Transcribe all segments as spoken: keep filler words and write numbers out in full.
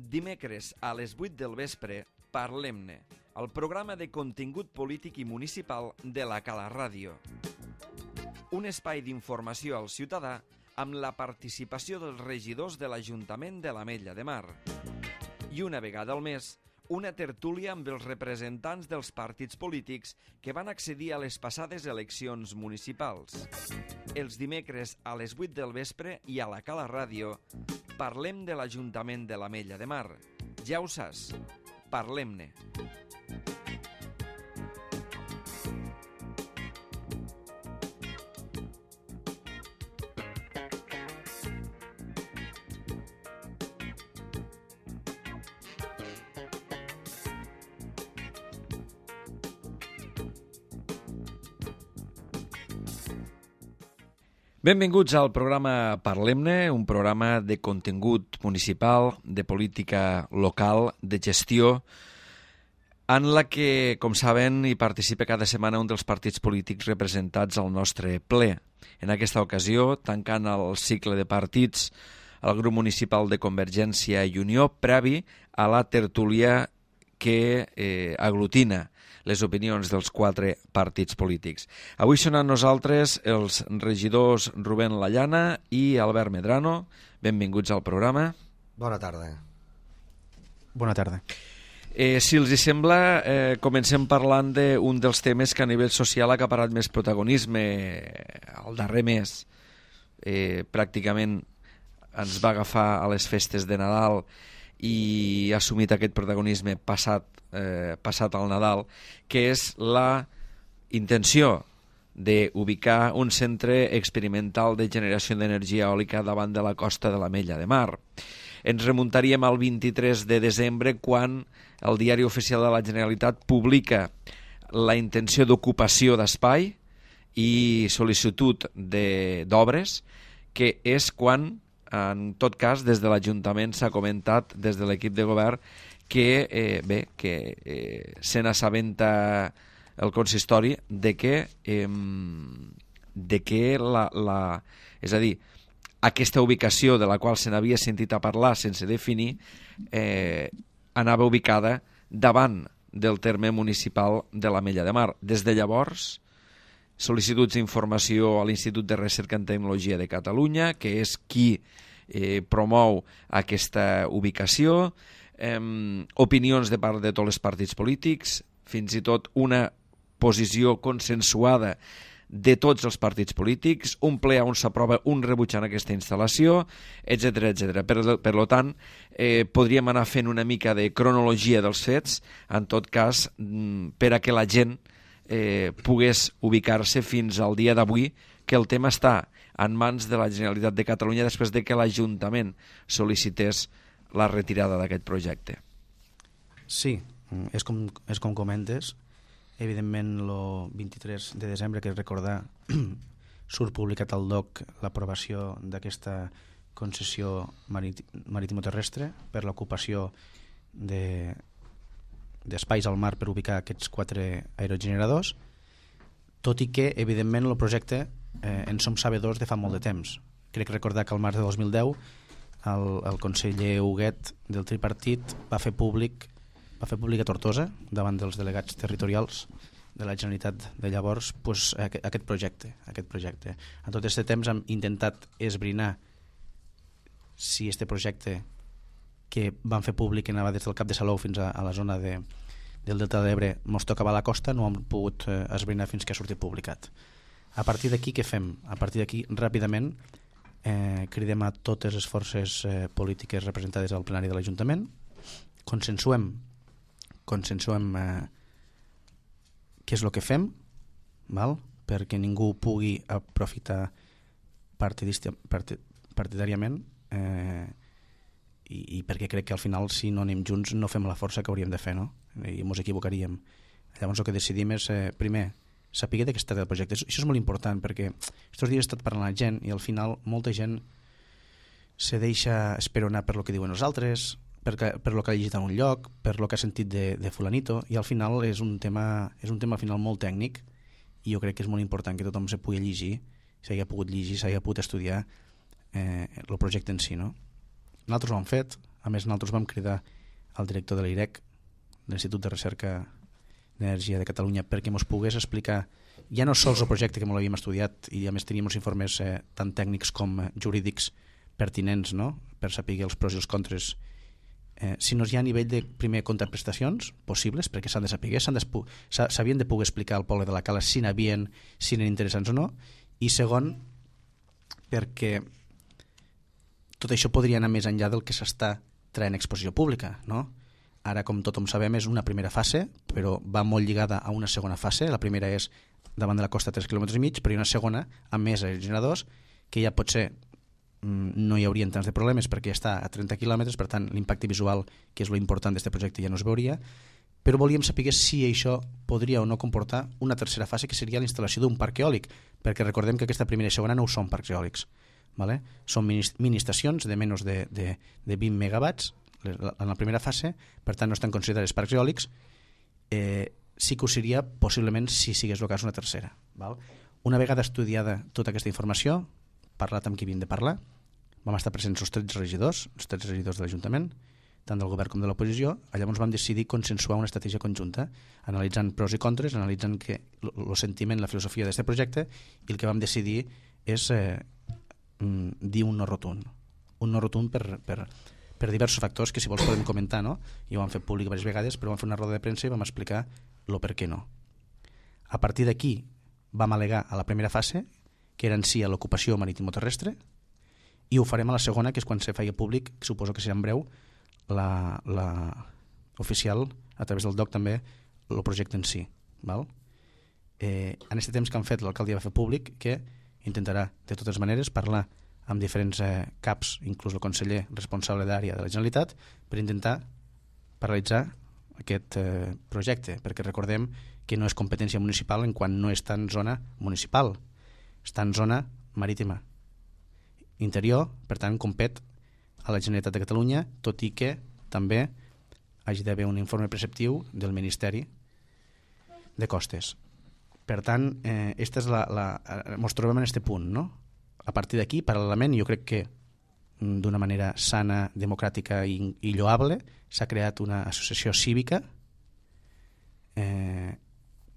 Dimecres a les vuit del vespre, Parlem-ne, el programa de contingut polític i municipal de la Cala Ràdio. Un espai d'informació al ciutadà amb la participació dels regidors de l'Ajuntament de l'Ametlla de Mar. I una vegada al mes, una tertúlia amb els representants dels partits polítics que van accedir a les passades eleccions municipals. Els dimecres a les vuit del vespre i a la Cala Ràdio parlem de l'Ajuntament de l'Ametlla de Mar. Ja ho saps, parlem-ne. Benvinguts al programa Parlem-ne, un programa de contingut municipal, de política local, de gestió, en la que, com saben, hi participa cada setmana un dels partits polítics representats al nostre ple. En aquesta ocasió, tancant el cicle de partits, el grup municipal de Convergència i Unió, previ a la tertúlia que eh, aglutina les opinions dels quatre partits polítics. Avui són amb nosaltres els regidors Rubén Lallana i Albert Medrano. Benvinguts al programa. Bona tarda. Bona tarda. Eh, si els hi sembla, eh, comencem parlant d'un dels temes que a nivell social ha acaparat més protagonisme el darrer mes. Eh, pràcticament ens va agafar a les festes de Nadal i ha assumit aquest protagonisme passat, eh, passat al Nadal, que és la intenció d'ubicar un centre experimental de generació d'energia eòlica davant de la costa de l'Ametlla de Mar. Ens remuntaríem al vint-i-tres de desembre, quan el Diari Oficial de la Generalitat publica la intenció d'ocupació d'espai i sol·licitud d'obres, que és quan, en tot cas, des de l'Ajuntament s'ha comentat des de l'equip de govern que, eh, bé, que eh, se n'assabenta el consistori de que, eh, de que la, la, és a dir, aquesta ubicació de la qual se n'havia sentit a parlar sense definir eh, anava ubicada davant del terme municipal de l'Ametlla de Mar. Des de llavors, sol·licituds d'informació a l'Institut de Recerca en Tecnologia de Catalunya, que és qui eh, promou aquesta ubicació, eh, opinions de part de tots els partits polítics, fins i tot una posició consensuada de tots els partits polítics, un ple on s'aprova un rebutjant aquesta instal·lació, etcètera, etcètera. Per, per tant, eh, podríem anar fent una mica de cronologia dels fets, en tot cas, per a que la gent Eh, pogués ubicar-se fins al dia d'avui, que el tema està en mans de la Generalitat de Catalunya després de que l'Ajuntament sol·licités la retirada d'aquest projecte. Sí, és com, és com comentes. Evidentment, el vint-i-tres de desembre, que recordar, surt publicat al D O C l'aprovació d'aquesta concessió marítimo-terrestre per l'ocupació de d'espais al mar per ubicar aquests quatre aerogeneradors, tot i que, evidentment, el projecte eh, en som sabedors de fa molt de temps. Crec recordar que al març de dos mil deu el, el conseller Huguet del tripartit va fer públic va fer públic a Tortosa, davant dels delegats territorials de la Generalitat de llavors, pues, aquest projecte. Aquest projecte. En tot aquest temps hem intentat esbrinar si este projecte que van fer públic que anava des del Cap de Salou fins a, a la zona de, del Delta de l'Ebre mos tocava a la costa, no hem pogut eh, esbrinar fins que ha sortit publicat. A partir d'aquí què fem? A partir d'aquí, ràpidament, eh, cridem a totes les forces eh, polítiques representades al plenari de l'Ajuntament, consensuem consensuem eh, què és el que fem, val? Perquè ningú pugui aprofitar partidista, part, partidàriament eh, I, i perquè crec que al final, si no anem junts, no fem la força que hauríem de fer, no? I ens equivocaríem. Llavors el que decidim és, eh, primer, saber de què es tracta el projecte. Això és molt important, perquè aquests dies he estat parlant amb la gent i al final molta gent se deixa esperonar per lo que diuen els altres, per, per lo que ha llegit en un lloc, per lo que ha sentit de, de fulanito, i al final és un tema, és un tema al final molt tècnic, i jo crec que és molt important que tothom se pugui llegir, s'hagi pogut llegir, s'hagi pogut estudiar eh, el projecte en si, no? Nosaltres ho hem fet, A més, nosaltres vam cridar al director de l'I R E C, l'Institut de Recerca d'Energia de Catalunya, perquè ens pogués explicar ja no sols el projecte que molt havíem estudiat i a més teníem els informes eh, tant tècnics com eh, jurídics pertinents, no?, per saber els pros i els contres, eh, sinó ja a nivell de, primer, contraprestacions possibles, perquè s'han de saber, s'havien de poder explicar al poble de la Cala si n'havien, si n'eren interessants o no, i segon, perquè tot això podria anar més enllà del que s'està traient exposició pública, no? Ara, com tothom sabem, és una primera fase, però va molt lligada a una segona fase. La primera és davant de la costa tres quilòmetres i mig, però hi ha una segona amb més generadors, que ja pot ser, no hi haurien tants de problemes perquè està a trenta quilòmetres, per tant l'impacte visual, que és lo important d'aquest projecte, ja no es veuria, però volíem saber si això podria o no comportar una tercera fase, que seria la instal·lació d'un parc eòlic, perquè recordem que aquesta primera i segona no ho són parcs eòlics, ¿vale? Són mini-estacions de menys de, de, de vint megawatts en la primera fase, per tant no estan considerats parcs eòlics. eh, sí que ho seria possiblement si sigués el cas una tercera, val? Una vegada estudiada tota aquesta informació, parlat amb qui havíem de parlar, vam estar presents els tretze regidors, els tretze regidors de l'Ajuntament, tant del govern com de l'oposició. Llavors vam decidir consensuar una estratègia conjunta, analitzant pros i contres, analitzant el sentiment, la filosofia d'aquest projecte, i el que vam decidir és eh, dir un no rotund. Un no rotund per, per, per diversos factors que si vols podem comentar, no? I ho vam fer públic diverses vegades, però vam fer una roda de premsa i vam explicar el per què no. A partir d'aquí vam al·legar a la primera fase, que era en si a l'ocupació marítimo-terrestre, i ho farem a la segona, que és quan se feia públic, que suposo que serà en breu, la, la oficial, a través del D O C també, el projecte en si. Val? Eh, en aquest temps que han fet, l'alcaldia va fer públic que intentarà, de totes maneres, parlar amb diferents eh, caps, inclús el conseller responsable d'àrea de la Generalitat, per intentar paralitzar aquest eh, projecte, perquè recordem que no és competència municipal en quan no està en zona municipal, està en zona marítima interior, per tant compet a la Generalitat de Catalunya, tot i que també hagi d'haver un informe preceptiu del Ministeri de Costes. Per tant, eh, esta és la, la, ens trobem en aquest punt, no? A partir d'aquí, paral·lelament, jo crec que d'una manera sana, democràtica i, i lloable, s'ha creat una associació cívica eh,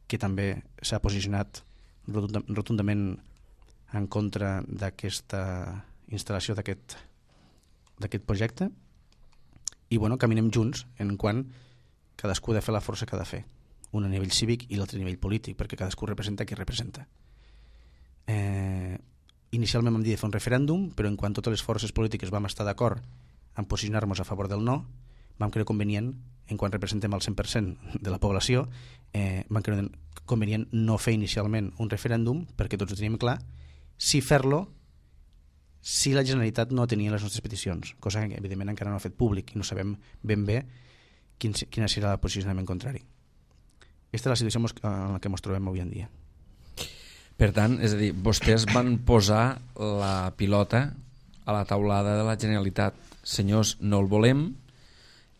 que també s'ha posicionat rotundament en contra d'aquesta instal·lació d'aquest d'aquest projecte, i bueno, caminem junts en quan cadascú ha de fer la força que ha de fer, un a nivell cívic i l'altre a nivell polític, perquè cadascú representa qui representa. Eh, inicialment vam dir de fer un referèndum, però en quan totes les forces polítiques vam estar d'acord en posicionar-nos a favor del no, vam creure convenient, en quan representem el cent per cent de la població, eh, vam creure convenient no fer inicialment un referèndum, perquè tots ho teníem clar, si fer-lo si la Generalitat no tenia les nostres peticions, cosa que evidentment encara no ha fet públic i no sabem ben bé quin, quin serà el posicionament contrari. Aquesta és la situació en la que ens trobem avui en dia. Per tant, és a dir, vostès van posar la pilota a la taulada de la Generalitat. Senyors, no el volem,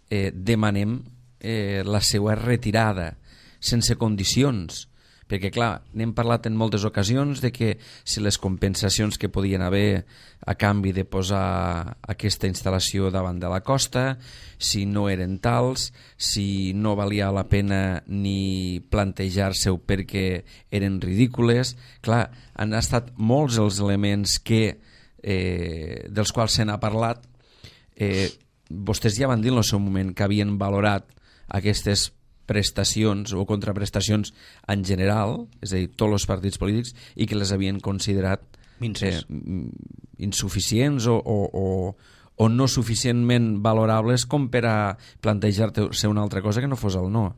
eh, demanem eh, la seva retirada sense condicions, perquè clar, n'hem parlat en moltes ocasions de que si les compensacions que podien haver a canvi de posar aquesta instal·lació davant de la costa, si no eren tals, si no valia la pena ni plantejar-se-ho perquè eren ridícules. Clar, han estat molts els elements que, eh, dels quals se n'ha parlat. Eh, vostès ja van dir en el seu moment que havien valorat aquestes prestacions o contraprestacions en general, és a dir, tots els partits polítics, i que les havien considerat eh, insuficients o, o, o, o no suficientment valorables com per a plantejar-te una altra cosa que no fos el no.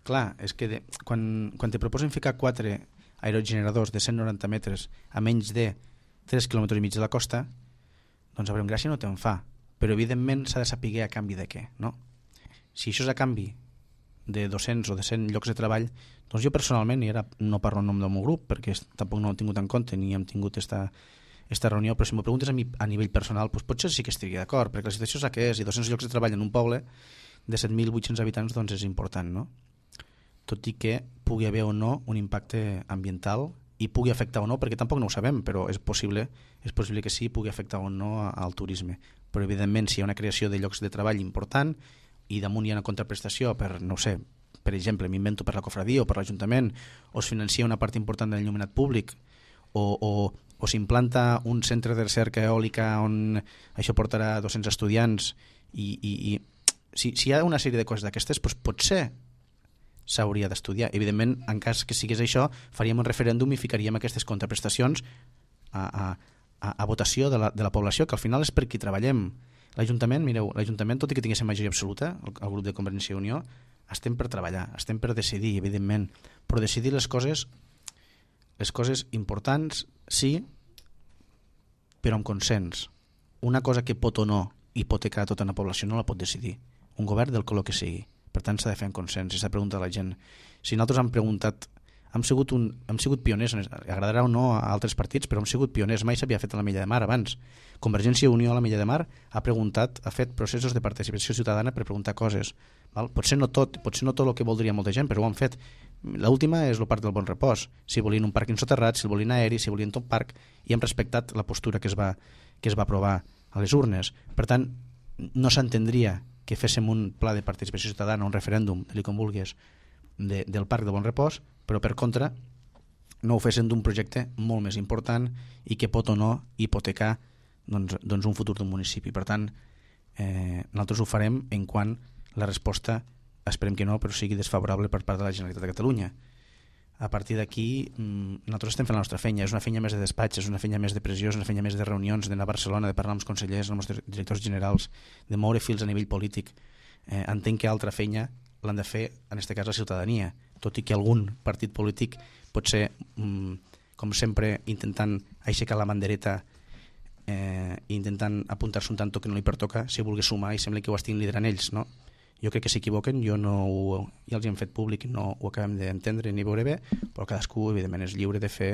Clar, és que de, quan, quan te proposen ficar quatre aerogeneradors de cent noranta metres a menys de tres quilòmetres i mig de la costa, doncs a veure, gràcia no te'n fa, però evidentment s'ha de saber a canvi de què, no? Si això és a canvi de dos-cents o de cent llocs de treball, doncs jo personalment, i ara no parlo en nom del meu grup perquè tampoc no ho he tingut en compte ni hem tingut esta, esta reunió, però si m'ho preguntes a mi a nivell personal, doncs potser sí que estaria d'acord, perquè la situació és la que és, i dos-cents llocs de treball en un poble de set mil vuit-cents habitants doncs és important, no? Tot i que pugui haver o no un impacte ambiental i pugui afectar o no, perquè tampoc no ho sabem, però és possible, és possible que sí, pugui afectar o no al turisme. Però evidentment si hi ha una creació de llocs de treball important i damunt hi ha una contraprestació per, no sé, per exemple, m'invento per la cofradia o per l'Ajuntament, o es financia una part important de l'enllumenat públic, o, o, o s'implanta un centre de recerca eòlica on això portarà dos-cents estudiants i, i, i si, si hi ha una sèrie de coses d'aquestes, doncs potser s'hauria d'estudiar. Evidentment, en cas que sigués això, faríem un referèndum i ficaríem aquestes contraprestacions a, a, a, a votació de la, de la població, que al final és per qui treballem. L'Ajuntament, mireu, l'Ajuntament, tot i que tinguéssim majoria absoluta, el, el grup de Convergència i Unió, estem per treballar, estem per decidir, evidentment, però decidir les coses les coses importants, sí, però amb consens. Una cosa que pot o no hipotecar tota una població no la pot decidir un govern del color que sigui. Per tant, s'ha de fer en consens i s'ha de preguntar a la gent. Si nosaltres hem preguntat, hem sigut, un, hem sigut pioners, agradarà o no a altres partits, però hem sigut pioners, mai s'havia fet a la Milla de Mar abans. Convergència i Unió a la Milla de Mar ha preguntat, ha fet processos de participació ciutadana per preguntar coses. Val? Potser no tot, potser no tot el que voldria molta gent, però ho han fet. L'última és el Parc del Bon Repòs. Si volien un parc insoterrat, si el volien aeri, si volien tot parc, i hem respectat la postura que es va, que es va aprovar a les urnes. Per tant, no s'entendria que féssim un pla de participació ciutadana, un referèndum, li com vulguis, de, del Parc de Bon Repòs, però per contra no ho fessin d'un projecte molt més important i que pot o no hipotecar doncs, doncs un futur d'un municipi. Per tant, eh, nosaltres ho farem en quan la resposta, esperem que no, però sigui desfavorable per part de la Generalitat de Catalunya. A partir d'aquí, nosaltres estem fent la nostra feina. És una feina més de despatx, és una feina més de pressió, és una feina més de reunions, d'anar a Barcelona, de parlar amb els consellers, amb els directors generals, de moure fils a nivell polític. Eh, entenc que altra feina l'han de fer, en aquest cas, la ciutadania, tot i que algun partit polític pot ser, com sempre, intentant aixecar la bandereta eh, i intentant apuntar-se un tanto que no li pertoca, si vulgui sumar i sembla que ho estiguin liderant ells, no? Jo crec que s'equivoquen, jo no ho, ja els hi hem fet públic i no ho acabem d'entendre ni veure bé, però cadascú, evidentment, és lliure de fer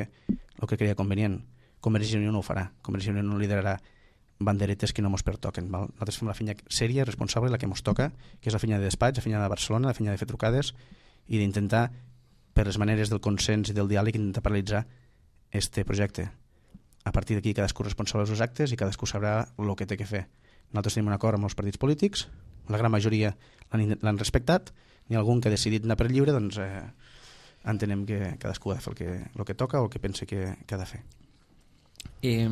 el que creia convenient. Convergència i Unió no ho farà, Convergència i Unió no liderarà banderetes que no ens pertoquen. Val? Nosaltres fem la feina sèria, responsable, la que ens toca, que és la feina de despatx, la feina de Barcelona, la feina de fer trucades i d'intentar, per les maneres del consens i del diàleg, intentar paralitzar este projecte. A partir d'aquí cadascú és responsable dels seus actes i cadascú sabrà el que té que fer. Nosaltres tenim un acord amb els partits polítics, la gran majoria l'han respectat, n'hi ha algun que ha decidit anar per lliure, doncs eh, entenem que cadascú ha de fer el que, el que toca o el que pensa que, que ha de fer. Eh,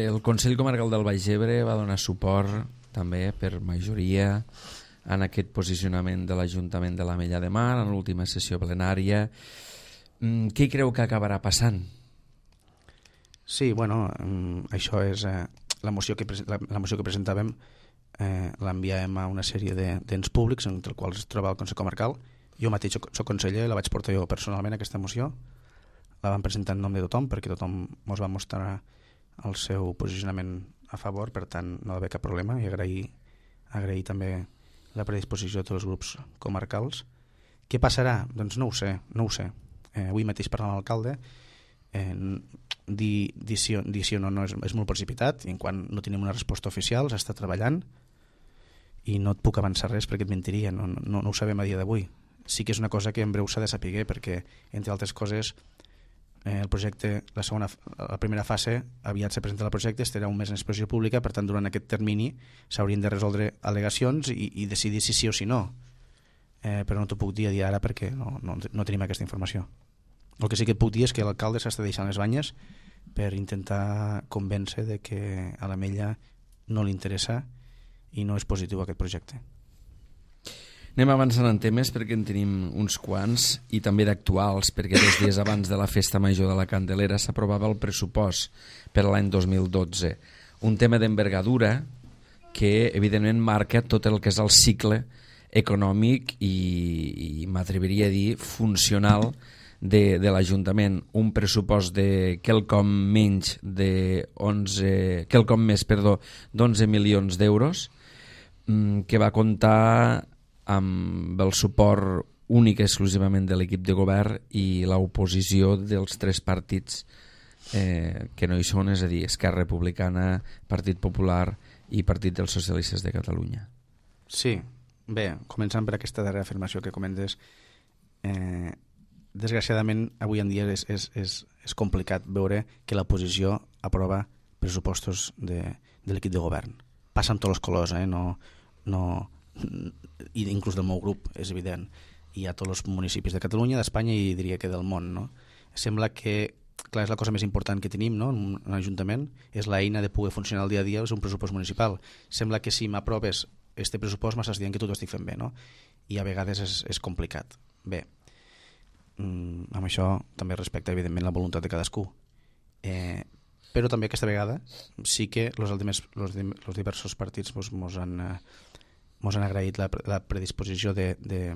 el Consell Comarcal del Baix Ebre va donar suport també per majoria en aquest posicionament de l'Ajuntament de l'Ametlla de Mar en l'última sessió plenària. Mm, què creu que acabarà passant? Sí, bueno, això és eh, la, moció que, la, la moció que presentàvem. Eh, l'enviàvem a una sèrie d'ens públics entre els quals es troba el Consell Comarcal. Jo mateix soc, soc conseller, la vaig portar jo personalment aquesta moció, la vam presentar en nom de tothom perquè tothom ens va mostrar el seu posicionament a favor, per tant no va haver cap problema, i agrair, agrair també la predisposició de tots els grups comarcals. Què passarà? Doncs no ho sé, no ho sé. Eh, avui mateix parlant amb l'alcalde, eh, dir, dir, sí, dir sí o no, no és, és molt precipitat, i en quan no tenim una resposta oficial s'està treballant i no et puc avançar res perquè et mentiria, no, no, no ho sabem a dia d'avui. Sí que és una cosa que en breu s'ha de saber, perquè entre altres coses eh, el projecte, la segona, la primera fase aviat se presenta el projecte, estarà un mes en exposició pública, per tant durant aquest termini s'haurien de resoldre al·legacions i, i decidir si sí o si no, eh, però no t'ho puc dir a dia ara perquè no, no, no tenim aquesta informació. El que sí que et puc dir és que l'alcalde s'està deixant les banyes per intentar convèncer de que a l'Ametlla no li interessa i no és positiu aquest projecte. Anem avançant en temes perquè en tenim uns quants i també d'actuals, perquè dos dies abans de la Festa Major de la Candelera s'aprovava el pressupost per l'any dos mil dotze. Un tema d'envergadura que evidentment marca tot el que és el cicle econòmic i, i m'atreviria a dir funcional de, de l'Ajuntament. Un pressupost de quelcom menys de onze, quelcom més, perdó, d'onze milions d'euros, que va comptar amb el suport únic exclusivament de l'equip de govern i l'oposició dels tres partits eh, que no hi són, és a dir, Esquerra Republicana, Partit Popular i Partit dels Socialistes de Catalunya. Sí, bé, començant per aquesta darrera afirmació que comentes, eh, desgraciadament, avui en dia és, és, és, és complicat veure que l'oposició aprova pressupostos de, de l'equip de govern. Passa amb tots els colors, eh? no, no, i inclús del meu grup, és evident. Hi ha tots els municipis de Catalunya, d'Espanya i diria que del món. No? Sembla que, clar, és la cosa més important que tenim, no? En un ajuntament, és l'eina de poder funcionar el dia a dia, és un pressupost municipal. Sembla que si m'aproves este pressupost m'estàs dient que tot ho estic fent bé, no? I a vegades és, és complicat. Bé, mm, amb això també respecta, evidentment, la voluntat de cadascú. Eh, però també aquesta vegada sí que els diversos partits mos, mos, han, mos han agraït la, la predisposició de, de,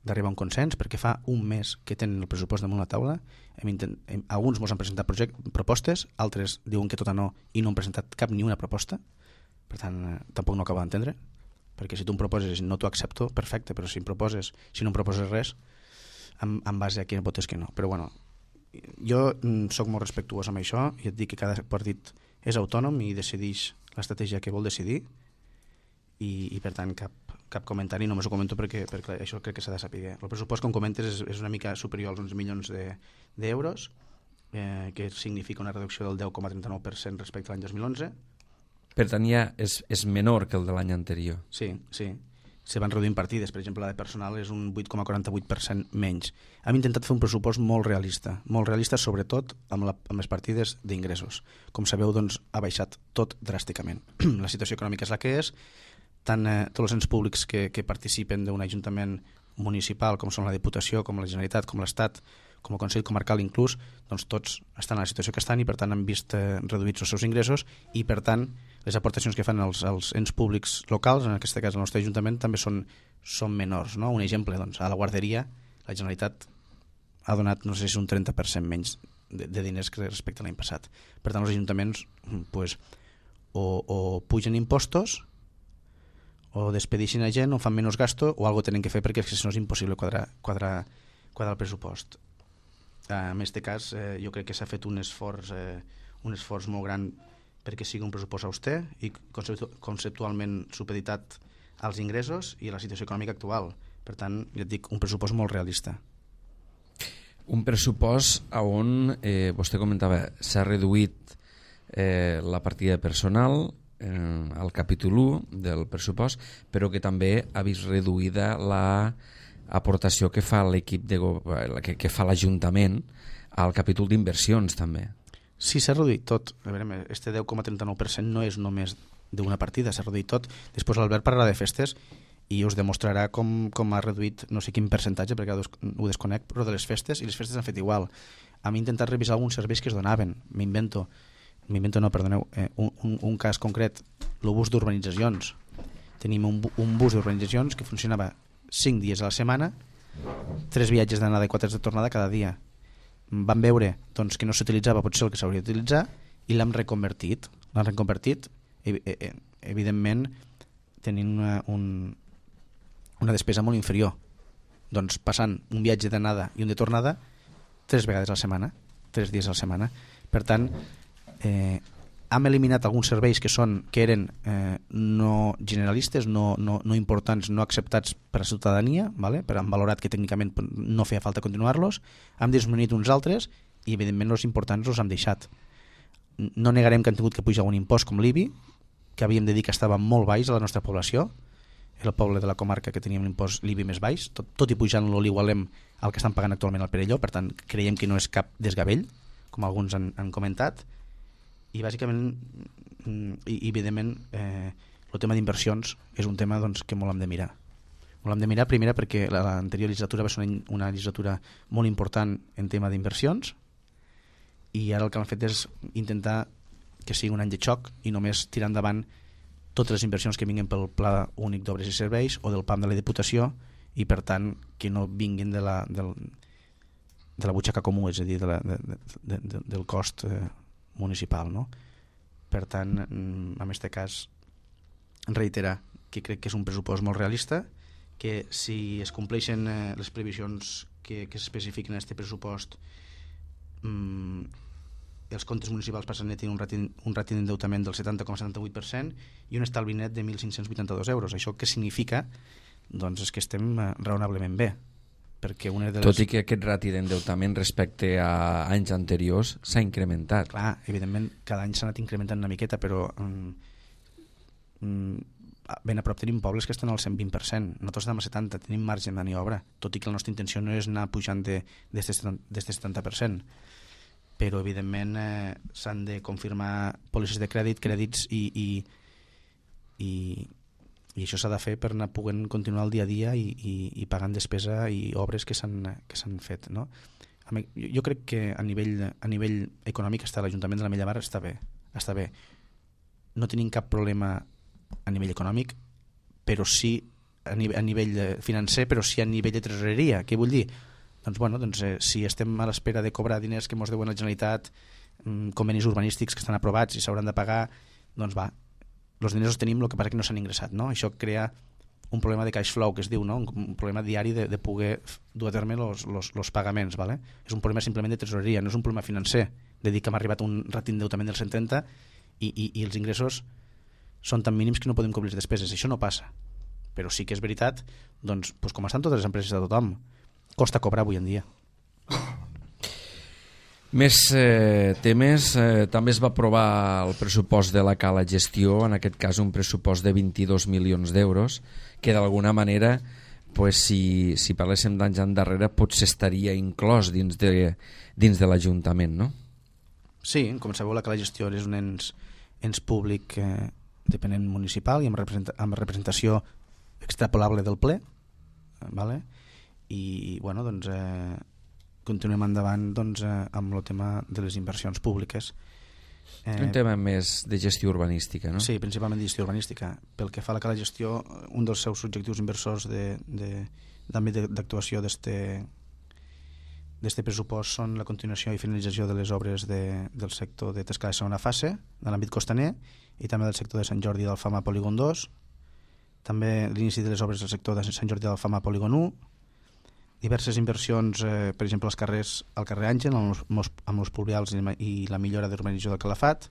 d'arribar a un consens, perquè fa un mes que tenen el pressupost damunt la taula. Hem intent, hem, alguns mos han presentat project, propostes, altres diuen que tot a no i no han presentat cap ni una proposta. Per tant, eh, tampoc no acabo d'entendre, perquè si tu em proposes i no t'ho accepto, perfecte, però si em proposes, si no em proposes res, en, en base a qui votes que no. Però bueno, jo sóc molt respectuós amb això i et dic que cada partit és autònom i decideix l'estratègia que vol decidir i, i per tant cap, cap comentari, només ho comento perquè, perquè això crec que s'ha de saber. El pressupost, com comentes, és, és una mica superior als onze milions d'euros, de, eh, que significa una reducció del deu coma trenta-nou per cent respecte a l'any dos mil onze. Per tant, ja és, és menor que el de l'any anterior. Sí, sí. Se van reduint partides, per exemple, la de personal és un vuit coma quaranta-vuit per cent menys. Hem intentat fer un pressupost molt realista, molt realista sobretot amb, la, amb les partides d'ingressos. Com sabeu, doncs, ha baixat tot dràsticament. La situació econòmica és la que és, tant eh, tots els ens públics que, que participen d'un ajuntament municipal, com són la Diputació, com la Generalitat, com l'Estat, com el Consell Comarcal inclús, doncs tots estan en la situació que estan i per tant han vist eh, reduïts els seus ingressos i per tant les aportacions que fan els, els ens públics locals, en aquest cas el nostre Ajuntament, també són, són menors. No? Un exemple, doncs, a la guarderia la Generalitat ha donat, no sé si un trenta per cent menys de, de diners que respecte a l'any passat. Per tant, els ajuntaments pues, o, o pugen impostos o despedixen a gent o fan menys gasto o algo tenen que fer perquè si no és impossible quadrar, quadrar, quadrar el pressupost. En aquest cas, eh, jo crec que s'ha fet un esforç, eh, un esforç molt gran perquè sigui un pressupost auster i conceptualment supeditat als ingressos i a la situació econòmica actual. Per tant, ja et dic, un pressupost molt realista. Un pressupost on, eh, vostè comentava, s'ha reduït eh, la partida de personal eh, al capítol u del pressupost, però que també ha vist reduïda la aportació que fa l'equip de que, que fa l'Ajuntament al capítol d'inversions també. Sí, s'ha reduït tot. A veure, este deu coma trenta-nou per cent no és només d'una partida, s'ha reduït tot. Després l'Albert parlarà de festes i us demostrarà com, com ha reduït no sé quin percentatge, perquè ho desconec, però de les festes, i les festes han fet igual. Hem intentat revisar alguns serveis que es donaven. M'invento, m'invento no, perdoneu, eh, un, un, un cas concret, el bus d'urbanitzacions. Tenim un, un bus d'urbanitzacions que funcionava cinc dies a la setmana, tres viatges d'anada i quatre de tornada cada dia. Vam veure doncs, que no s'utilitzava potser el que s'hauria d'utilitzar i l'hem reconvertit. L'hem reconvertit, evidentment, tenint una, un, una despesa molt inferior. Doncs passant un viatge d'anada i un de tornada tres vegades a la setmana, tres dies a la setmana. Per tant, eh, hem eliminat alguns serveis que són que eren eh, no generalistes, no, no, no importants, no acceptats per a la ciutadania, vale? Però hem valorat que tècnicament no feia falta continuar-los, hem disminuït uns altres i evidentment els importants els hem deixat. No negarem que han tingut que pujar un impost com l'I B I, que havíem de dir que estava molt baix a la nostra població, era el poble de la comarca que teníem l'impost l'I B I més baix, tot, tot i pujant-lo l'igualem al que estan pagant actualment al Perelló, per tant creiem que no és cap desgavell, com alguns han, han comentat. I bàsicament i evidentment eh, el tema d'inversions és un tema doncs, que molt hem de mirar molt hem de mirar primera perquè l'anterior legislatura va ser una, una legislatura molt important en tema d'inversions i ara el que han fet és intentar que sigui un any de xoc i només tirar endavant totes les inversions que vinguin pel Pla Únic d'Obres i Serveis o del P A M de la Diputació i per tant que no vinguin de la, del, de la butxaca comú, és a dir de la, de, de, de, del cost eh, municipal, no? Per tant, en aquest cas reiterar que crec que és un pressupost molt realista, que si es compleixen eh, les previsions que, que s'especifiquen en aquest pressupost mmm, els comptes municipals passen a tenir un ràting, un ràting d'endeutament del setanta coma setanta-vuit per cent i un estalvi net de mil cinc-cents vuitanta-dos euros. Això què significa? Doncs és que estem eh, raonablement bé. perquè una de les... Tot i que aquest rati d'endeutament respecte a anys anteriors s'ha incrementat. Clar, evidentment, cada any s'ha anat incrementant una miqueta, però mm, mm, ben a prop tenim pobles que estan al cent vint per cent. Nosaltres estem al setanta, tenim marge de maniobra, tot i que la nostra intenció no és anar pujant d'aquest setanta per cent. Però, evidentment, eh, s'han de confirmar pòlisses de crèdit, crèdits i... i, i i això s'ha de fer per anar poguent continuar el dia a dia i, i, i pagant despesa i obres que s'han que s'han fet, no? Jo crec que a nivell, a nivell econòmic està l'Ajuntament de l'Ametlla de Mar està bé, està bé. No tenim cap problema a nivell econòmic, però sí a nivell, a nivell financer, però sí a nivell de tresoreria. Què vull dir? Doncs, bueno, doncs, eh, si estem a l'espera de cobrar diners que ens deuen a la Generalitat, mm, convenis urbanístics que estan aprovats i s'hauran de pagar, doncs va, els diners els tenim, el que passa que no s'han ingressat, no? Això crea un problema de cash flow, que es diu, no? Un problema diari de, de poder dur a terme els pagaments, ¿vale? És un problema simplement de tresoreria, no és un problema financer, de dir que hem arribat a un rati d'endeutament del cent trenta i, i, i els ingressos són tan mínims que no podem cobrir les despeses. Això no passa, però sí que és veritat, doncs, doncs com estan totes les empreses de tothom, costa cobrar avui en dia. Més eh, temes, eh, també es va aprovar el pressupost de la Cala Gestió, en aquest cas un pressupost de vint-i-dos milions d'euros, que d'alguna manera, pues, si, si parléssim d'anys endarrere, potser estaria inclòs dins de, dins de l'Ajuntament, no? Sí, com sabeu, la Cala Gestió és un ens, ens públic eh, dependent municipal i amb, representa, amb representació extrapolable del ple, eh, vale? I, bueno, doncs... Eh, continuem endavant doncs, eh, amb el tema de les inversions públiques. Eh, un tema més de gestió urbanística, no? Sí, principalment de gestió urbanística. Pel que fa a la Cala Gestió, un dels seus objectius inversors d'àmbit d'actuació d'este pressupost són la continuació i finalització de les obres de, del sector de Tescala de segona fase, de l'àmbit costaner, i també del sector de Sant Jordi d'Alfama Polígon dos, també l'inici de les obres del sector de Sant Jordi d'Alfama Polígon u, diverses inversions, eh, per exemple, als carrers, al carrer Àngel, amb els, amb els pluvials i la millora d'urbanització del Calafat,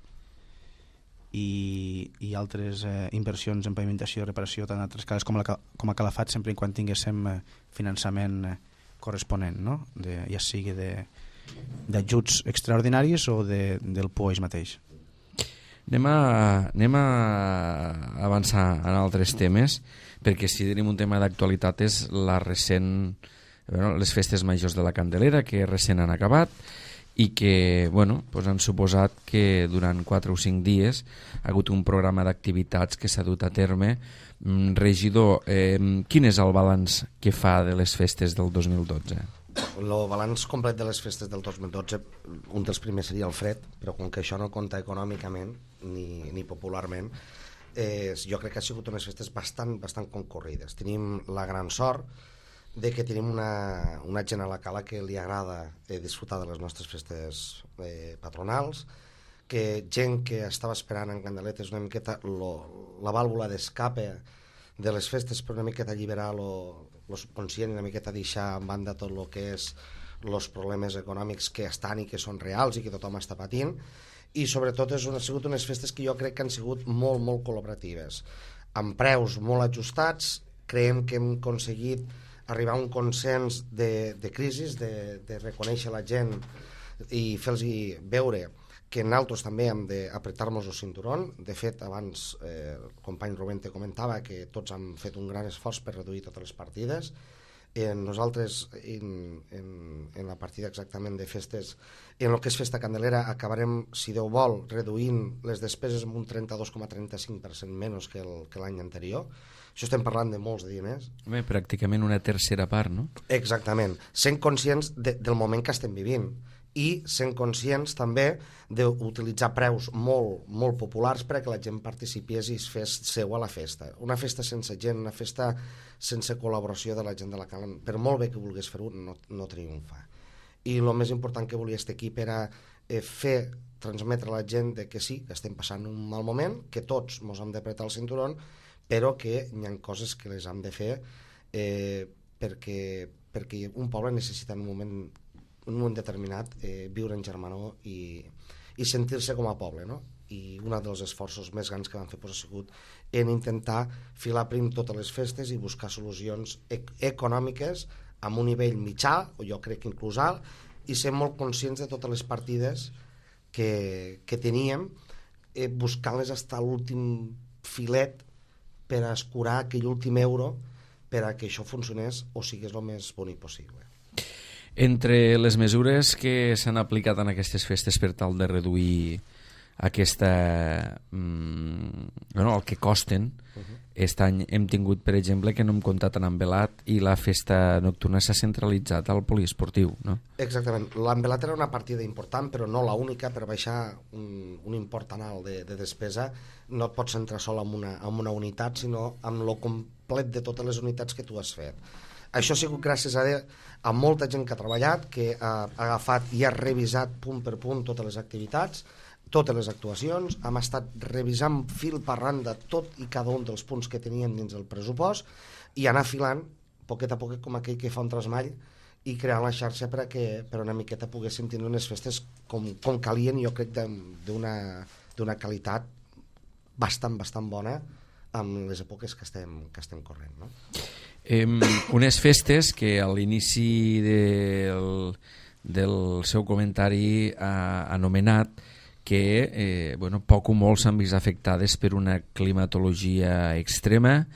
i, i altres eh, inversions en pavimentació i reparació tant a altres cales com a, la, com a Calafat, sempre quan tinguéssim eh, finançament eh, corresponent, no? De, ja sigui d'ajuts extraordinaris o de, del P U E mateix. Anem a, anem a avançar en altres temes, perquè si tenim un tema d'actualitat és la recent... Bueno, les festes majors de la Candelera, que recent han acabat i que bueno, pues han suposat que durant quatre o cinc dies ha hagut un programa d'activitats que s'ha dut a terme. Regidor, eh, quin és el balanç que fa de les festes del dos mil dotze? El balanç complet de les festes del dos mil dotze, un dels primers seria el fred, però com que això no compta econòmicament ni, ni popularment, eh, jo crec que ha sigut unes festes bastant, bastant concorrides. Tenim la gran sort de que tenim una, una gent a la Cala que li agrada eh, disfrutar de les nostres festes eh, patronals, que gent que estava esperant en candeletes una miqueta lo, la vàlvula d'escape de les festes per una miqueta alliberar lo, lo subconscient i una miqueta deixar en banda tot el que és els problemes econòmics que estan i que són reals i que tothom està patint, i sobretot és una, ha sigut unes festes que jo crec que han sigut molt, molt col·laboratives, amb preus molt ajustats. Creiem que hem aconseguit arribar a un consens de, de crisis, de, de reconèixer la gent i fer-los veure que nosaltres també hem d'apretar-nos el cinturón. De fet, abans eh, el company Rubén te comentava que tots han fet un gran esforç per reduir totes les partides. Eh, nosaltres, en, en, en la partida exactament de festes, en el que és Festa Candelera, acabarem, si Déu vol, reduint les despeses amb un trenta-dos coma trenta-cinc per cent menys que l'any anterior. Això estem parlant de molts diners. Bé, pràcticament una tercera part, no? Exactament. Sent conscients de, del moment que estem vivint i sent conscients també d'utilitzar preus molt, molt populars perquè la gent participés i es fes seu a la festa. Una festa sense gent, una festa sense col·laboració de la gent de la Cala, per molt bé que volgués fer-ho, no, no triomfa. I el més important que volia aquest equip era eh, fer, transmetre a la gent de que sí, que estem passant un mal moment, que tots ens hem d'apretar el cinturón, però que hi ha coses que les hem de fer eh, perquè, perquè un poble necessita en un moment, en un moment determinat eh, viure en germanor i, i sentir-se com a poble, no? I un dels esforços més grans que vam fer pues, ha sigut en intentar filar prim totes les festes i buscar solucions ec econòmiques amb un nivell mitjà, o jo crec que inclús alt, i ser molt conscients de totes les partides que, que teníem, eh, buscant-les fins a l'últim filet per a escurar aquell últim euro per a que això funcionés o sigués el més bonic possible. Entre les mesures que s'han aplicat en aquestes festes per tal de reduir aquesta, mm, bueno, el que costen, uh -huh. Aquest any hem tingut, per exemple, que no hem comptat en Envelat i la festa nocturna s'ha centralitzat al poliesportiu, no? Exactament. L'Envelat era una partida important, però no la única. Per baixar un, un import tan alt de, de despesa no et pots centrar sol en una, en una unitat, sinó en lo complet de totes les unitats que tu has fet. Això ha sigut gràcies a, a molta gent que ha treballat, que ha, ha agafat i ha revisat punt per punt totes les activitats, totes les actuacions, hem estat revisant fil per randa tot i cada un dels punts que teníem dins del pressupost i anar filant, poquet a poquet, com aquell que fa un trasmall, i crear la xarxa per a que per una miqueta poguéssim tenir unes festes com, com calien, jo crec d'una qualitat bastant, bastant bona amb les èpoques que estem, que estem corrent, no? Eh, unes festes que a l'inici del, del seu comentari ha anomenat que eh, bueno, poc o molt s'han vist afectades per una climatologia extrema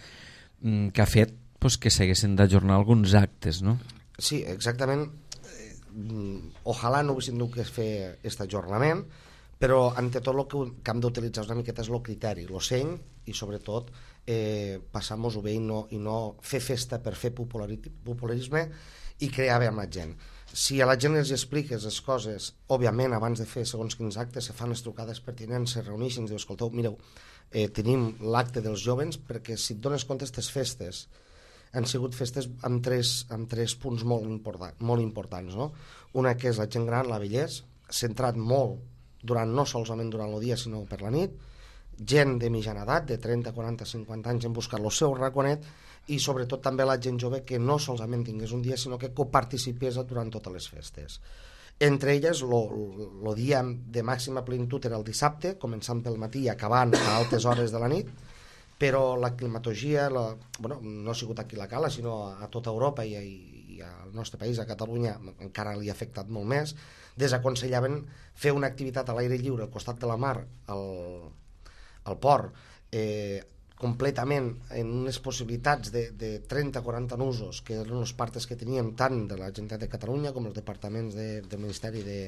mm, que ha fet pues, que s'haguessin d'ajornar alguns actes, no? Sí, exactament. Eh, ojalà no haguéssim de fer aquest ajornament, però ante tot el que, que hem d'utilitzar una miqueta és el criteri, el seny, i sobretot eh, passar-nos-ho bé i no, i no fer festa per fer popularisme i crear bé amb la gent. Si a la gent els expliques les coses, òbviament, abans de fer segons quins actes, se fan les trucades pertinents, se reuneixen, diu, escolteu, mireu, eh, tenim l'acte dels jovens, perquè si et dones compte, aquestes festes han sigut festes amb tres, amb tres punts molt, important, molt importants, no? Una que és la gent gran, la vellesa, centrat molt, durant, no solament durant el dia, sinó per la nit, gent de mitjana edat, de trenta, quaranta, cinquanta anys, han buscat el seu raconet, i sobretot també la gent jove que no solament tingués un dia, sinó que coparticipés durant totes les festes. Entre elles, el dia de màxima plenitud era el dissabte, començant pel matí i acabant a altes hores de la nit, però la climatologia, la, bueno, no ha sigut aquí la Cala, sinó a tota Europa i, i, i al nostre país, a Catalunya, encara li ha afectat molt més, desaconsellaven fer una activitat a l'aire lliure al costat de la mar, al, al port, eh, completament en unes possibilitats de, de trenta a quaranta nusos, que eren els partes que teníem tant de la Generalitat de Catalunya com els departaments de, del Ministeri de,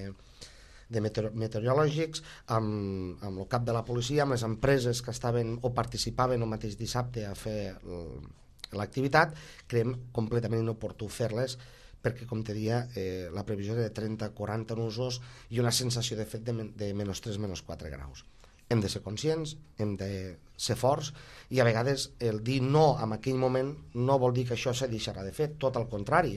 de meteor, meteorològics, amb, amb el cap de la policia, amb les empreses que estaven o participaven el mateix dissabte a fer l'activitat, creiem completament inoportú fer-les, perquè, com te dia, eh, la previsió era de trenta a quaranta nusos i una sensació de fet de, de menys tres, menys quatre graus. Hem de ser conscients, hem de ser forts, i a vegades el dir no en aquell moment no vol dir que això se deixarà de fer, tot al contrari.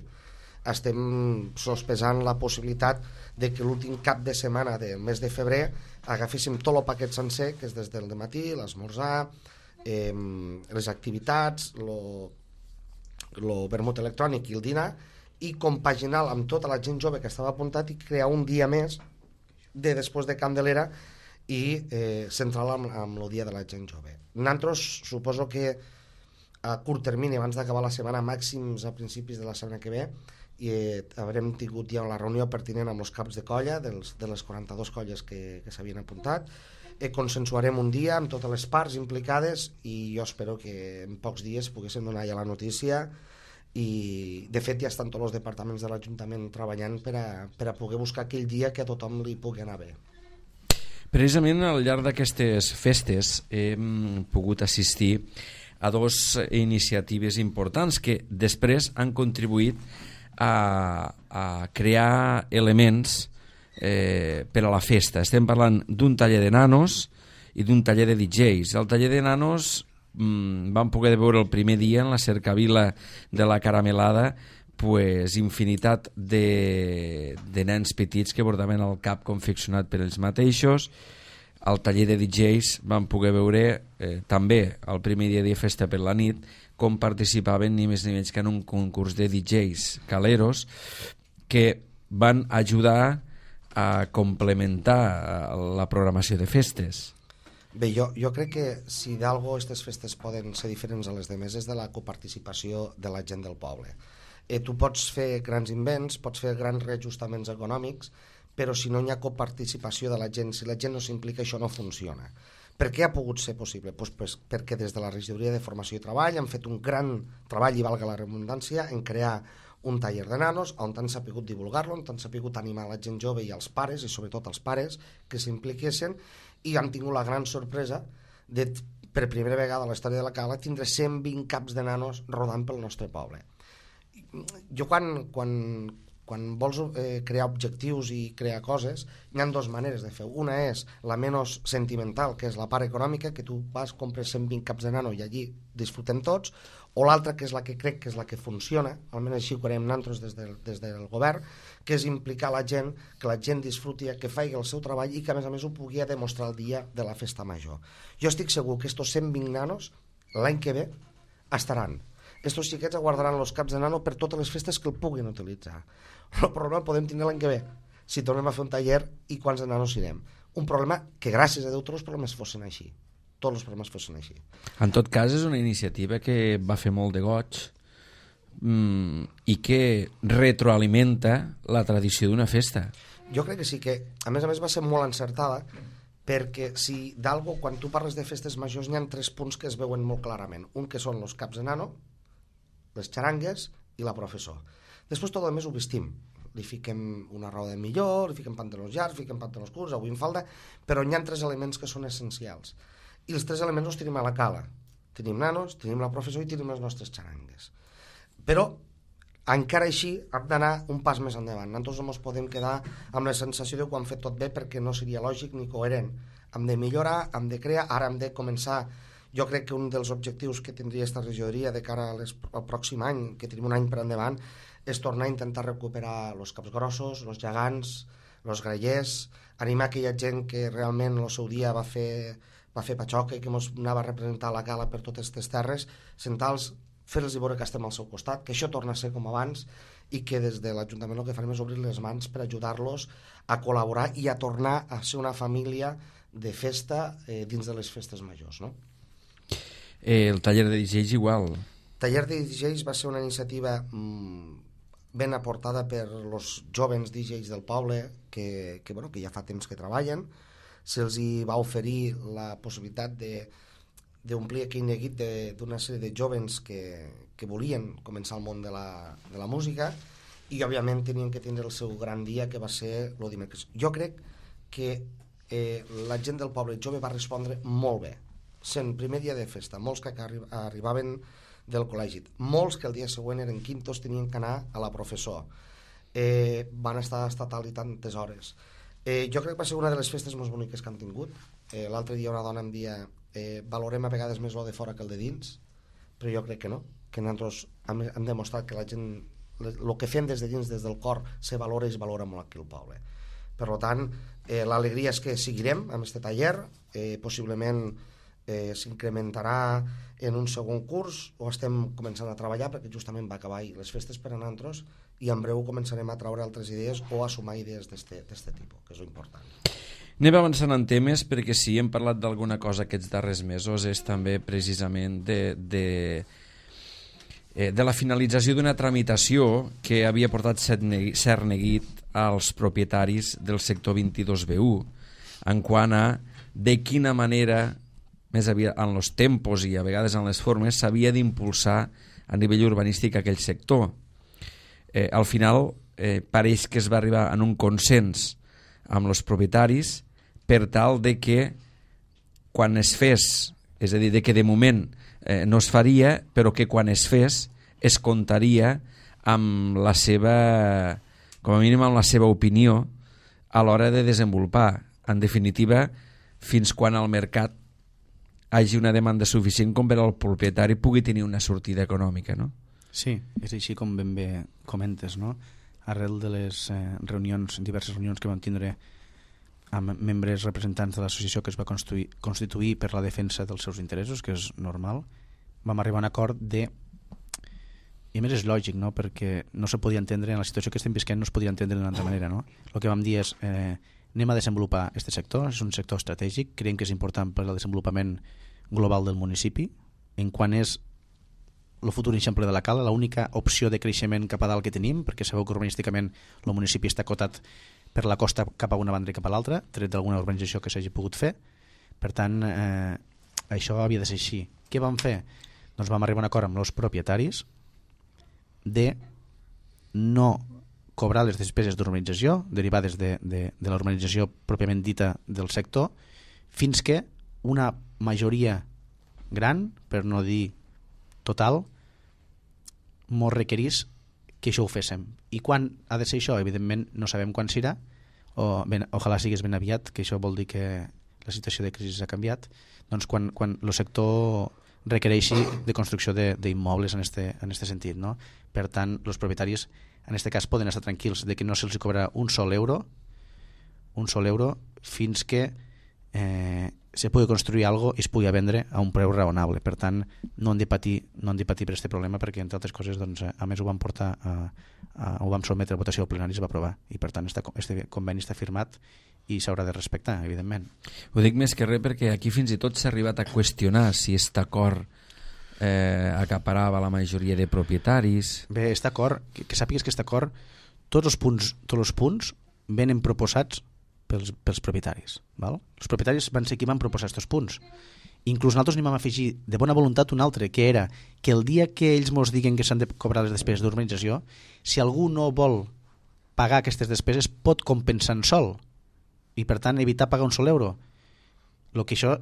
Estem sospesant la possibilitat de que l'últim cap de setmana del mes de febrer agaféssim tot el paquet sencer, que és des del dematí, l'esmorzar, eh, les activitats, el vermut electrònic i el dinar, i compaginar amb tota la gent jove que estava apuntat i crear un dia més de després de Candelera i eh, central amb, amb el dia de la gent jove. Nosaltres suposo que a curt termini, abans d'acabar la setmana, màxims a principis de la setmana que ve, i eh, haurem tingut ja la reunió pertinent amb els caps de colla dels, de les quaranta-dues colles que, que s'havien apuntat, eh, consensuarem un dia amb totes les parts implicades i jo espero que en pocs dies poguéssim donar ja la notícia, i de fet ja estan tots els departaments de l'Ajuntament treballant per a, per a poder buscar aquell dia que a tothom li pugui anar bé. Precisament al llarg d'aquestes festes hem pogut assistir a dues iniciatives importants que després han contribuït a, a crear elements eh, per a la festa. Estem parlant d'un taller de nanos i d'un taller de D Js. El taller de nanos mmm, vam poder veure el primer dia en la cercavila de la Caramelada, pues, infinitat de, de nens petits que portaven el cap confeccionat per ells mateixos. Al taller de D Js vam poder veure eh, també el primer dia de festa per la nit com participaven ni més ni menys que en un concurs de D Js caleros que van ajudar a complementar la programació de festes. Bé, jo, jo crec que si d'algo aquestes festes poden ser diferents a les demés és de la coparticipació de la gent del poble. eh, tu pots fer grans invents, pots fer grans reajustaments econòmics, però si no hi ha coparticipació de la gent, si la gent no s'implica, això no funciona. Per què ha pogut ser possible? Pues, pues, perquè des de la Regidoria de Formació i Treball han fet un gran treball, i valga la redundància, en crear un taller de nanos on han sapigut divulgar-lo, on han sapigut animar la gent jove i els pares, i sobretot els pares, que s'impliquessin, i han tingut la gran sorpresa de, per primera vegada a la història de la Cala, tindre cent vint caps de nanos rodant pel nostre poble. Jo quan... quan quan vols eh, crear objectius i crear coses, hi ha dues maneres de fer. Una és la menys sentimental, que és la part econòmica, que tu vas, compres cent vint caps de nano i allí disfrutem tots, o l'altra, que és la que crec que és la que funciona, almenys així ho farem nosaltres des del, des del govern, que és implicar la gent, que la gent disfruti, que faci el seu treball i que a més a més ho pugui demostrar el dia de la festa major. Jo estic segur que estos cent vint nanos l'any que ve estaran. Estos xiquets aguardaran els caps de nano per totes les festes que el puguin utilitzar. El problema el podem tenir l'any que ve, si tornem a fer un taller i quants de nanos irem. Un problema que, gràcies a Déu, tots els problemes fossin així. Tots els problemes fossin així. En tot cas, és una iniciativa que va fer molt de goig mmm, i que retroalimenta la tradició d'una festa. Jo crec que sí, que a més a més va ser molt encertada, perquè si d'algo, quan tu parles de festes majors, hi ha tres punts que es veuen molt clarament. Un que són els caps de nano, les xarangues i la professor. Després tot el més ho vestim. Li fiquem una roda de millor, li fiquem pantalons llargs, fiquem pantalons curts, avui en falda, però hi ha tres elements que són essencials. I els tres elements els tenim a la Cala. Tenim nanos, tenim la professor i tenim les nostres xarangues. Però encara així hem d'anar un pas més endavant. Nosaltres no ens podem quedar amb la sensació de que ho hem fet tot bé, perquè no seria lògic ni coherent. Hem de millorar, hem de crear, ara hem de començar. Jo crec que un dels objectius que tindria aquesta regidoria de cara al pròxim any, que tenim un any per endavant, és tornar a intentar recuperar els caps grossos, els gegants, els grallers, animar aquella gent que realment el seu dia va fer, va fer patxoca i que ens anava a representar la Cala per totes aquestes terres, sentar-los, fer-los i veure que estem al seu costat, que això torna a ser com abans i que des de l'Ajuntament el que farem és obrir les mans per ajudar-los a col·laborar i a tornar a ser una família de festa eh, dins de les festes majors, no? Eh, el taller de D Js igual. El taller de D Js va ser una iniciativa mmm, ben aportada per els jovens D Js del poble que, que, bueno, que ja fa temps que treballen. Se'ls va oferir la possibilitat d'omplir aquell neguit d'una sèrie de jovens que, que volien començar el món de la, de la música i òbviament tenien que tindre el seu gran dia, que va ser el dimecres. Jo crec que eh, la gent del poble jove va respondre molt bé, sent primer dia de festa, molts que arri arribaven del col·legi, molts que el dia següent eren quintos, tenien que anar a la professor, eh, van estar estatal i tantes hores. Eh, jo crec que va ser una de les festes més boniques que han tingut. Eh, l'altre dia una dona em dia eh, valorem a vegades més lo de fora que el de dins, però jo crec que no, que nosaltres hem, hem demostrat que la gent, el que fem des de dins, des del cor, se valora i es valora molt aquí al poble. Per tant, eh, l'alegria és que seguirem amb aquest taller, eh, possiblement eh, s'incrementarà en un segon curs, o estem començant a treballar perquè justament va acabar ahir les festes per a nosaltres i en breu començarem a treure altres idees o a sumar idees d'aquest tipus, que és important. Anem avançant en temes, perquè si hem parlat d'alguna cosa aquests darrers mesos és també precisament de, de, de la finalització d'una tramitació que havia portat cert neguit als propietaris del sector vint-i-dos B u en quant a de quina manera, més aviat en els tempos i a vegades en les formes, s'havia d'impulsar a nivell urbanístic aquell sector. Eh, al final eh, pareix que es va arribar en un consens amb els propietaris per tal de que quan es fes, és a dir, de que de moment eh, no es faria, però que quan es fes es comptaria amb la seva, com a mínim amb la seva opinió a l'hora de desenvolupar. En definitiva, fins quan el mercat hagi una demanda suficient com per al propietari pugui tenir una sortida econòmica, no? Sí, és així com ben bé comentes, no? Arrel de les eh, reunions, diverses reunions que vam tindre amb membres representants de l'associació que es va constituir, constituir per la defensa dels seus interessos, que és normal, vam arribar a un acord de... I a més és lògic, no? Perquè no se podia entendre, en la situació que estem visquent no es podia entendre d'una altra manera, no? El que vam dir és eh, anem a desenvolupar aquest sector, és un sector estratègic, creiem que és important per al desenvolupament global del municipi, en quan és el futur eixample de la Cala, l'única opció de creixement cap a dalt que tenim, perquè sabeu que urbanísticament el municipi està acotat per la costa cap a una banda i cap a l'altra, tret d'alguna urbanització que s'hagi pogut fer. Per tant, eh, això havia de ser així. Què vam fer? Doncs vam arribar a un acord amb els propietaris de no cobrar les despeses d'urbanització derivades de, de, de la urbanització pròpiament dita del sector, fins que una majoria gran, per no dir total, mos requerís que això ho féssim. I quan ha de ser això? Evidentment no sabem quan serà, o ben, ojalà sigués ben aviat, que això vol dir que la situació de crisi ha canviat, doncs quan, quan el sector requereixi de construcció d'immobles en este, en este sentit, no? Per tant, els propietaris en aquest cas poden estar tranquils de que no se'ls cobrarà un sol euro un sol euro fins que eh, se pugui construir alguna cosa i es pugui vendre a un preu raonable. Per tant, no han de patir, no han de patir per aquest problema, perquè entre altres coses, doncs, a més ho vam portar a, a, ho vam sotmetre a votació al plenari i es va aprovar, i per tant este conveni està firmat i s'haurà de respectar, evidentment. Ho dic més que res perquè aquí fins i tot s'ha arribat a qüestionar si aquest acord eh, acaparava la majoria de propietaris. Bé, aquest acord, que, que sàpigues que aquest acord, tots els punts, tots els punts venen proposats pels, pels propietaris. Val? Els propietaris van ser qui van proposar aquests punts. Inclús nosaltres n'hi vam afegir de bona voluntat un altre, que era que el dia que ells mos diguen que s'han de cobrar les despeses d'urbanització, si algú no vol pagar aquestes despeses, pot compensar en sol, i per tant evitar pagar un sol euro. Lo que això,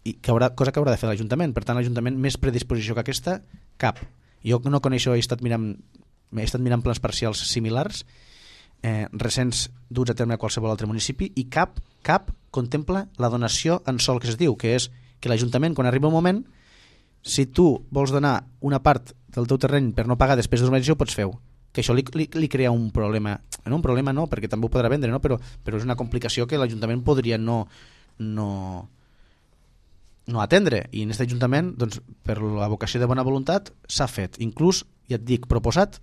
i que haurà, cosa que haurà de fer l'Ajuntament. Per tant, l'Ajuntament més predisposició que aquesta, cap. Jo no coneixo, he estat mirant, he estat mirant plans parcials similars, eh, recents duts a terme a qualsevol altre municipi, i cap, cap contempla la donació en sol, que es diu, que és que l'Ajuntament, quan arriba un moment, si tu vols donar una part del teu terreny per no pagar després d'urbanització, ho pots fer-ho. Que això li, li, li crea un problema, no un problema no, perquè també ho podrà vendre, no? però, però és una complicació que l'Ajuntament podria no, no, no atendre, i en aquest Ajuntament, doncs, per la vocació de bona voluntat s'ha fet, inclús, ja et dic, proposat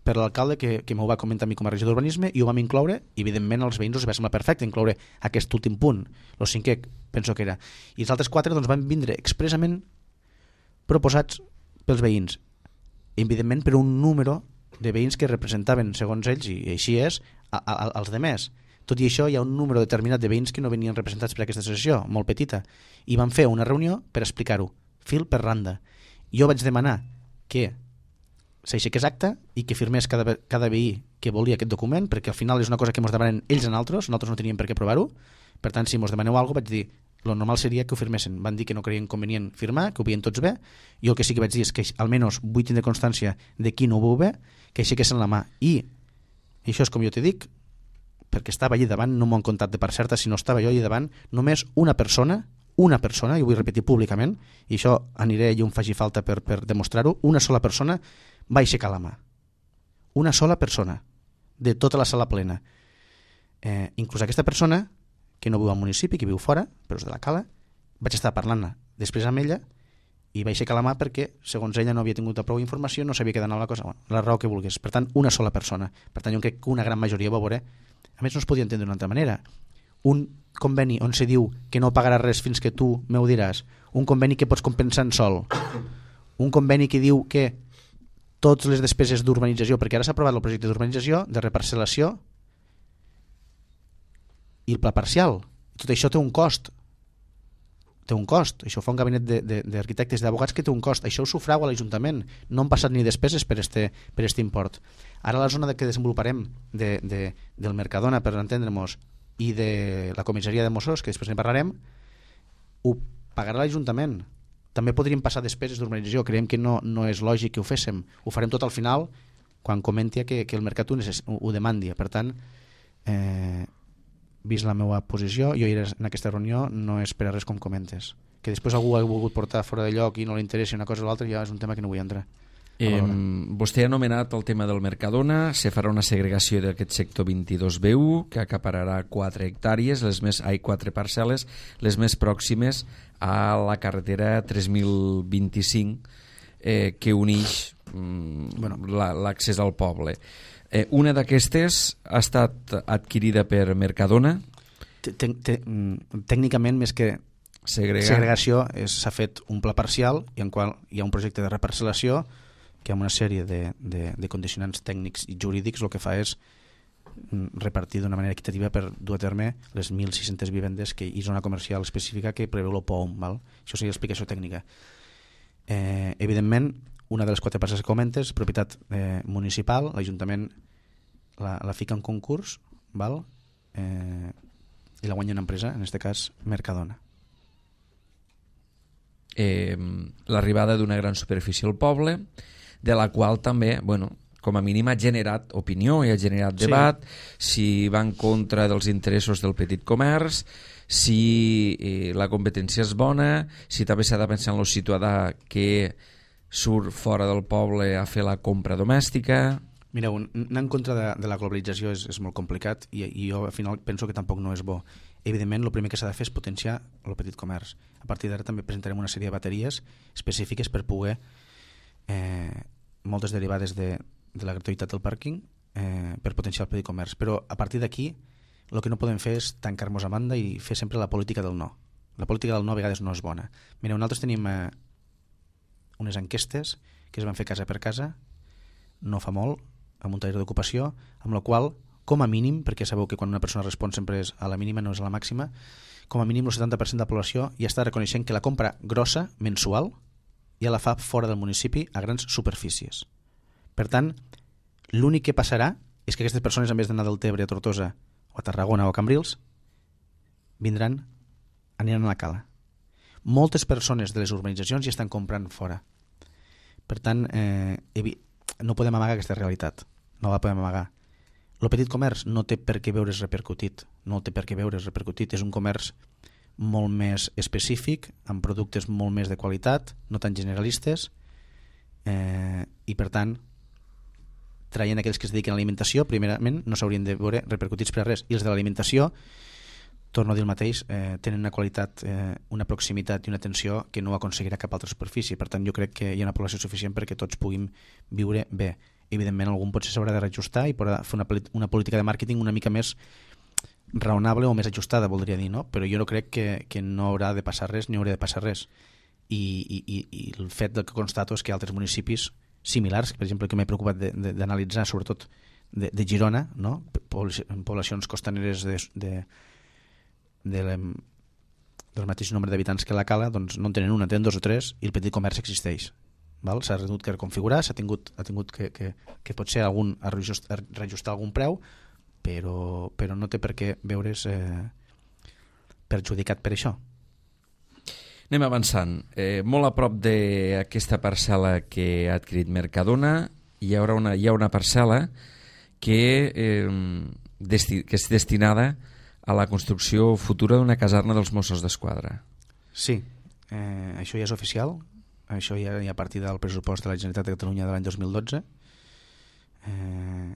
per l'alcalde que, que m'ho va comentar a mi com a regidor d'urbanisme, i ho vam incloure, i evidentment als veïns els va semblar perfecte incloure aquest últim punt, el cinquè penso que era, i els altres quatre doncs, van vindre expressament proposats pels veïns, i evidentment per un número de veïns que representaven, segons ells, i així és, a, a, als demés. Tot i això, hi ha un número determinat de veïns que no venien representats per aquesta associació, molt petita, i van fer una reunió per explicar-ho, fil per randa. Jo vaig demanar que s'aixequés acta i que firmés cada, cada veí que volia aquest document, perquè al final és una cosa que ens demanen ells a nosaltres, nosaltres no teníem per què provar-ho. Per tant, si ens demaneu alguna cosa, vaig dir, lo normal seria que ho firmessin. Van dir que no creien convenient firmar, que ho veien tots bé. Jo el que sí que vaig dir és que almenys vull tindre constància de qui no ho veu bé, que aixequessin la mà. I, i això és com jo t'he dic, perquè estava allí davant, no m'ho han contat de part certa, sinó estava jo allí davant, només una persona, una persona, i ho vull repetir públicament, i això aniré i on faci falta per, per demostrar-ho, una sola persona va aixecar la mà. Una sola persona, de tota la sala plena. Eh, inclús aquesta persona, que no viu al municipi, que viu fora, però és de la Cala, vaig estar parlant després amb ella i va aixecar la mà perquè, segons ella, no havia tingut prou informació, no sabia què d'anar la cosa, bueno, la raó que volgués. Per tant, una sola persona. Per tant, jo crec que una gran majoria va veure. A més, no es podia entendre d'una altra manera. Un conveni on se diu que no pagarà res fins que tu m'ho diràs, un conveni que pots compensar en sol, un conveni que diu que totes les despeses d'urbanització, perquè ara s'ha aprovat el projecte d'urbanització, de reparcel·lació, i el pla parcial. Tot això té un cost. Té un cost. Això fa un gabinet d'arquitectes i d'advocats que té un cost. Això ho sufrau a l'Ajuntament. No han passat ni despeses per este, per este import. Ara la zona que desenvoluparem de, de, del Mercadona, per entendre-nos, i de la comissaria de Mossos, que després ne parlarem, ho pagarà l'Ajuntament. També podríem passar despeses d'urbanització. Creiem que no, no és lògic que ho féssim. Ho farem tot al final quan comenti que, que el mercat ho, ho demandi. Per tant, eh, vist la meva posició, jo era en aquesta reunió, no és per a res com comentes. Que després algú ha volgut portar fora de lloc i no li interessi una cosa o l'altra, ja és un tema que no vull entrar. Eh, vostè ha anomenat el tema del Mercadona, se farà una segregació d'aquest sector vint-i-dos B u que acapararà quatre hectàrees, les més, ai, quatre parcel·les, les més pròximes a la carretera tres mil vint-i-cinc eh, que uneix mm, bueno, l'accés al poble. Eh, una d'aquestes ha estat adquirida per Mercadona? Tècnicament, més que Segregar. segregació s'ha fet un pla parcial i en qual hi ha un projecte de reparcel·lació que amb una sèrie de, de, de condicionants tècnics i jurídics el que fa és repartir d'una manera equitativa per dur a terme les mil sis-centes vivendes que hi zona comercial específica que preveu el P O U M. Val? Això seria l'explicació tècnica. Eh, evidentment, una de les quatre parcel·les que comentes, propietat eh, municipal, l'Ajuntament la, la fica en concurs, val? Eh, i la guanya una empresa, en aquest cas Mercadona. Eh, l'arribada d'una gran superfície al poble, de la qual també, bueno, com a mínim ha generat opinió i ha generat debat, sí. Si va en contra dels interessos del petit comerç, si eh, la competència és bona, si també s'ha de pensar en el ciutadà que surt fora del poble a fer la compra domèstica. Mireu, anar en contra de, de la globalització és, és molt complicat i, i jo al final penso que tampoc no és bo. Evidentment, el primer que s'ha de fer és potenciar el petit comerç. A partir d'ara també presentarem una sèrie de bateries específiques per poder eh, moltes derivades de, de la gratuïtat del pàrquing eh, per potenciar el petit comerç. Però a partir d'aquí el que no podem fer és tancar-nos a banda i fer sempre la política del no. La política del no a vegades no és bona. Mireu, nosaltres tenim eh, unes enquestes que es van fer casa per casa no fa molt, amb un taller d'ocupació, amb la qual, com a mínim, perquè sabeu que quan una persona respon sempre és a la mínima, no és a la màxima, com a mínim el setanta per cent de la població ja està reconeixent que la compra grossa, mensual, ja la fa fora del municipi a grans superfícies. Per tant, l'únic que passarà és que aquestes persones, en vez d'anar del Tebre a Tortosa o a Tarragona o a Cambrils, vindran, aniran a la Cala. Moltes persones de les urbanitzacions ja estan comprant fora. Per tant, eh, no podem amagar aquesta realitat. No la podem amagar. El petit comerç no té per què veure's repercutit. No té per què veure's repercutit. És un comerç molt més específic, amb productes molt més de qualitat, no tan generalistes, eh, i per tant, traient aquells que es dediquen a l'alimentació, primerament no s'haurien de veure repercutits per a res. I els de l'alimentació, torno a dir el mateix, eh, tenen una qualitat, eh, una proximitat i una atenció que no aconseguirà cap altra superfície. Per tant, jo crec que hi ha una població suficient perquè tots puguin viure bé. Evidentment, algun potser s'haurà de reajustar i podrà fer una, una política de màrqueting una mica més raonable o més ajustada, voldria dir, no? Però jo no crec que, que no haurà de passar res ni haurà de passar res. I, i, i, i el fet del que constato és que altres municipis similars, per exemple, que m'he preocupat d'analitzar, sobretot de, de Girona, no? Poblacions costaneres de, de, de la, del mateix nombre d'habitants que la Cala, doncs no en tenen una, tenen dos o tres, i el petit comerç existeix. S'ha tingut que reconfigurar, s'ha tingut, ha tingut que, que, que potser algun, reajustar, reajustar algun preu, però, però no té per què veure's eh, perjudicat per això. Anem avançant. Eh, molt a prop d'aquesta parcel·la que ha adquirit Mercadona hi haurà una, hi ha una parcel·la que, eh, desti, que és destinada a la construcció futura d'una caserna dels Mossos d'Esquadra. Sí, eh, això ja és oficial. Això ja hi ha a partir del pressupost de la Generalitat de Catalunya de l'any dos mil dotze. Eh,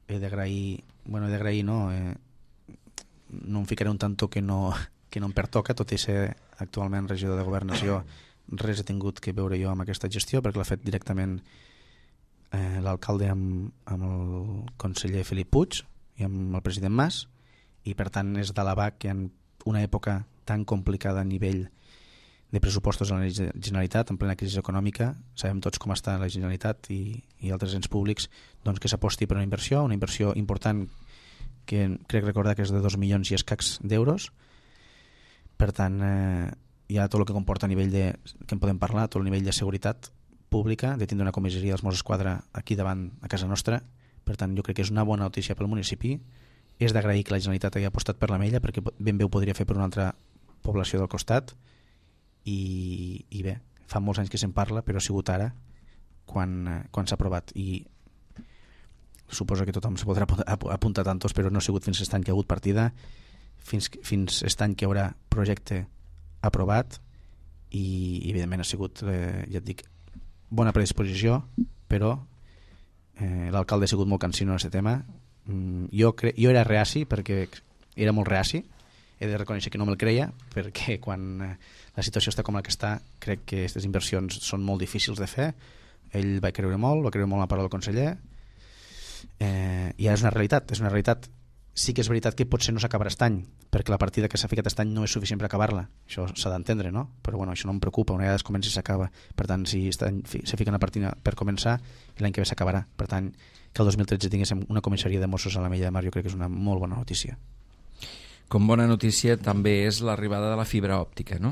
he d'agrair, bueno, he d'agrair, no, eh, no em ficaré un tanto que no, que no em pertoca, tot i ser actualment regidor de Governació, res he tingut que veure jo amb aquesta gestió, perquè l'ha fet directament eh, l'alcalde amb, amb el conseller Felip Puig i amb el president Mas, i per tant és d'alabar que en una època tan complicada a nivell de pressupostos a la Generalitat, en plena crisi econòmica, sabem tots com està la Generalitat i, i altres ens públics, doncs que s'aposti per una inversió, una inversió important que crec recordar que és de dos milions i escacs d'euros. Per tant, eh, hi ha tot el que comporta a nivell de, que en podem parlar, tot el nivell de seguretat pública, de tindre una comissaria dels Mossos d'Esquadra aquí davant, a casa nostra. Per tant, jo crec que és una bona notícia pel municipi. És d'agrair que la Generalitat hagi apostat per la Mella, perquè ben bé ho podria fer per una altra població del costat. I, i bé, fa molts anys que se'n parla, però ha sigut ara quan, quan s'ha aprovat, i suposo que tothom se podrà apuntar tantos, però no ha sigut fins aquest any que ha hagut partida, fins, fins aquest any que hi haurà projecte aprovat, i evidentment ha sigut, eh, ja et dic, bona predisposició, però eh, l'alcalde ha sigut molt cansino en aquest tema. mm, jo, cre jo era reaci, perquè era molt reaci, he de reconèixer que no me'l creia, perquè quan eh, la situació està com la que està, crec que aquestes inversions són molt difícils de fer. Ell va creure molt, va creure molt en la paraula del conseller, eh, i és una realitat, és una realitat sí que és veritat que potser no s'acabarà aquest any, perquè la partida que s'ha ficat aquest any no és suficient per acabar-la. Això s'ha d'entendre, no? Però bueno, això no em preocupa, una vegada es comença i s'acaba. Per tant, si aquest any se fica una partida per començar, l'any que ve s'acabarà. Per tant, que el dos mil tretze tinguéssim una comissaria de Mossos a la Mella de Mar, jo crec que és una molt bona notícia. Com bona notícia també és l'arribada de la fibra òptica, no?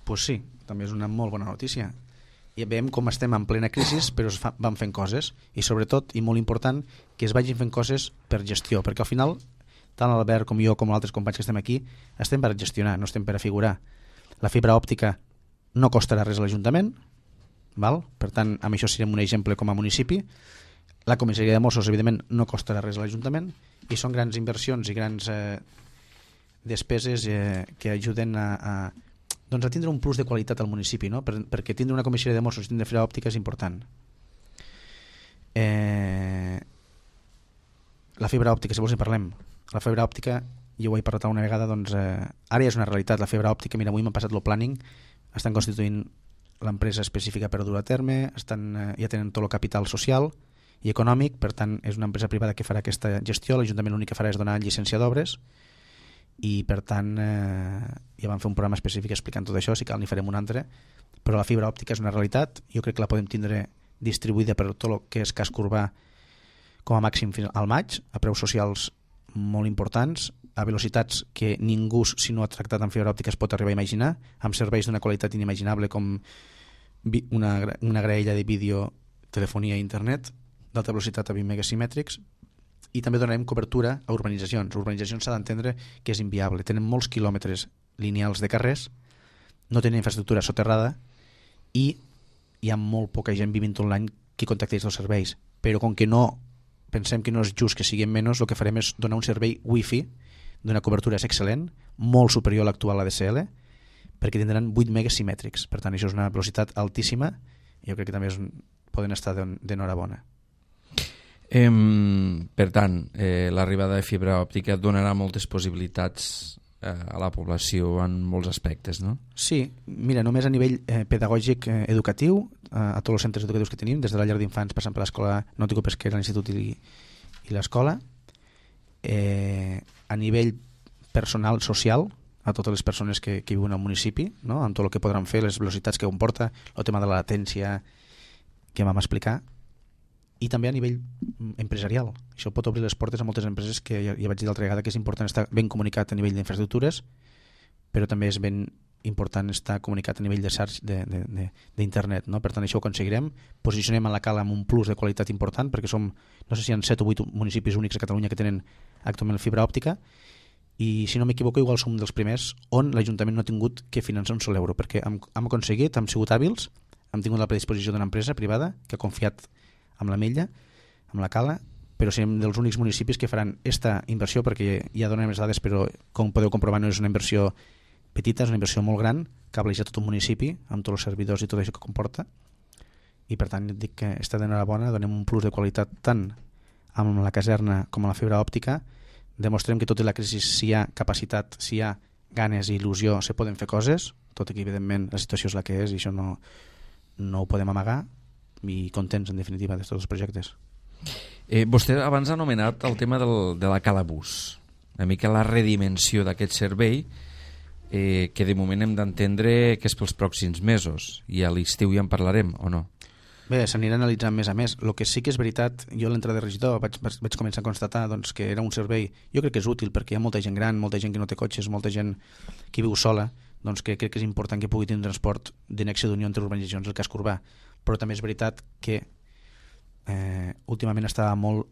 Pues sí, també és una molt bona notícia. I veiem com estem en plena crisi, però es fa, van fent coses, i sobretot, i molt important, que es vagin fent coses per gestió, perquè al final, tant l'Albert com jo, com altres companys que estem aquí, estem per gestionar, no estem per afigurar. La fibra òptica no costarà res a l'Ajuntament, val? Per tant, amb això serem un exemple com a municipi. La comissaria de Mossos, evidentment, no costarà res a l'Ajuntament, i són grans inversions i grans eh, despeses eh, que ajuden a, a doncs a tindre un plus de qualitat al municipi, no? Per, perquè tindre una comissaria de Mossos i tindre fibra òptica és important. Eh, la fibra òptica, si vols en parlem. La fibra òptica, jo ho he parlat una vegada, doncs eh, ara ja és una realitat. La fibra òptica, mira, avui m'han passat el planning, estan constituint l'empresa específica per dur a terme, estan, eh, ja tenen tot el capital social i econòmic, per tant és una empresa privada que farà aquesta gestió, l'Ajuntament l'únic que farà és donar llicència d'obres, i per tant eh, ja vam fer un programa específic explicant tot això, si cal n'hi farem un altre, però la fibra òptica és una realitat, jo crec que la podem tindre distribuïda per tot el que és casc urbà com a màxim al maig, a preus socials molt importants, a velocitats que ningú, si no ha tractat amb fibra òptica, es pot arribar a imaginar, amb serveis d'una qualitat inimaginable com una, una graella de vídeo, telefonia i internet d'alta velocitat a vint megasimètrics. I també donarem cobertura a urbanitzacions. Urbanitzacions s'ha d'entendre que és inviable. Tenen molts quilòmetres lineals de carrers, no tenen infraestructura soterrada i hi ha molt poca gent vivint tot l'any que contacteix els serveis. Però com que no pensem que no és just que siguin menys, el que farem és donar un servei wifi d'una cobertura excel·lent, molt superior a l'actual A D S L, perquè tindran vuit megasimètrics. Per tant, això és una velocitat altíssima i jo crec que també és, poden estar d'enhorabona. Eh, per tant, eh, l'arribada de fibra òptica donarà moltes possibilitats eh, a la població en molts aspectes, no? Sí, mira, només a nivell eh, pedagògic eh, educatiu, eh, a tots els centres educatius que tenim, des de la llar d'infants passant per l'escola nàutico-pesquera, l'institut i, i l'escola, eh, a nivell personal, social, a totes les persones que, que viuen al municipi, no? Amb tot el que podran fer, les velocitats que comporta, el tema de la latència que vam explicar, i també a nivell empresarial. Això pot obrir les portes a moltes empreses que ja, ja vaig dir l'altra vegada que és important estar ben comunicat a nivell d'infraestructures, però també és ben important estar comunicat a nivell de search d'internet, no? Per tant, això ho aconseguirem. Posicionem a la Cala amb un plus de qualitat important, perquè som, no sé si hi ha set o vuit municipis únics a Catalunya que tenen actualment fibra òptica, i si no m'equivoco igual som dels primers on l'Ajuntament no ha tingut que finançar un sol euro, perquè hem, hem aconseguit, hem sigut hàbils, hem tingut la predisposició d'una empresa privada que ha confiat amb la Mella, amb la Cala, però serem dels únics municipis que faran aquesta inversió, perquè ja donem les dades, però com podeu comprovar no és una inversió petita, és una inversió molt gran, cableja tot un municipi, amb tots els servidors i tot això que comporta, i per tant dic que està d'enhorabona, donem un plus de qualitat tant amb la caserna com amb la fibra òptica, demostrem que tot i la crisi, si hi ha capacitat, si hi ha ganes i il·lusió, se poden fer coses, tot i que evidentment la situació és la que és i això no, no ho podem amagar, i contents en definitiva de tots els projectes. Eh, vostè abans ha anomenat el tema del, de la Calabús, una mica la redimensió d'aquest servei, eh, que de moment hem d'entendre que és pels pròxims mesos, i a l'estiu ja en parlarem, o no? Bé, s'anirà analitzant més a més. El que sí que és veritat, jo a l'entrada de regidor vaig, vaig començar a constatar doncs, que era un servei, jo crec que és útil perquè hi ha molta gent gran, molta gent que no té cotxes, molta gent que viu sola, doncs que crec que és important que pugui tenir un transport de nexe d'unió entre urbanitzacions i el casc urbà. Però també és veritat que eh, últimament estava molt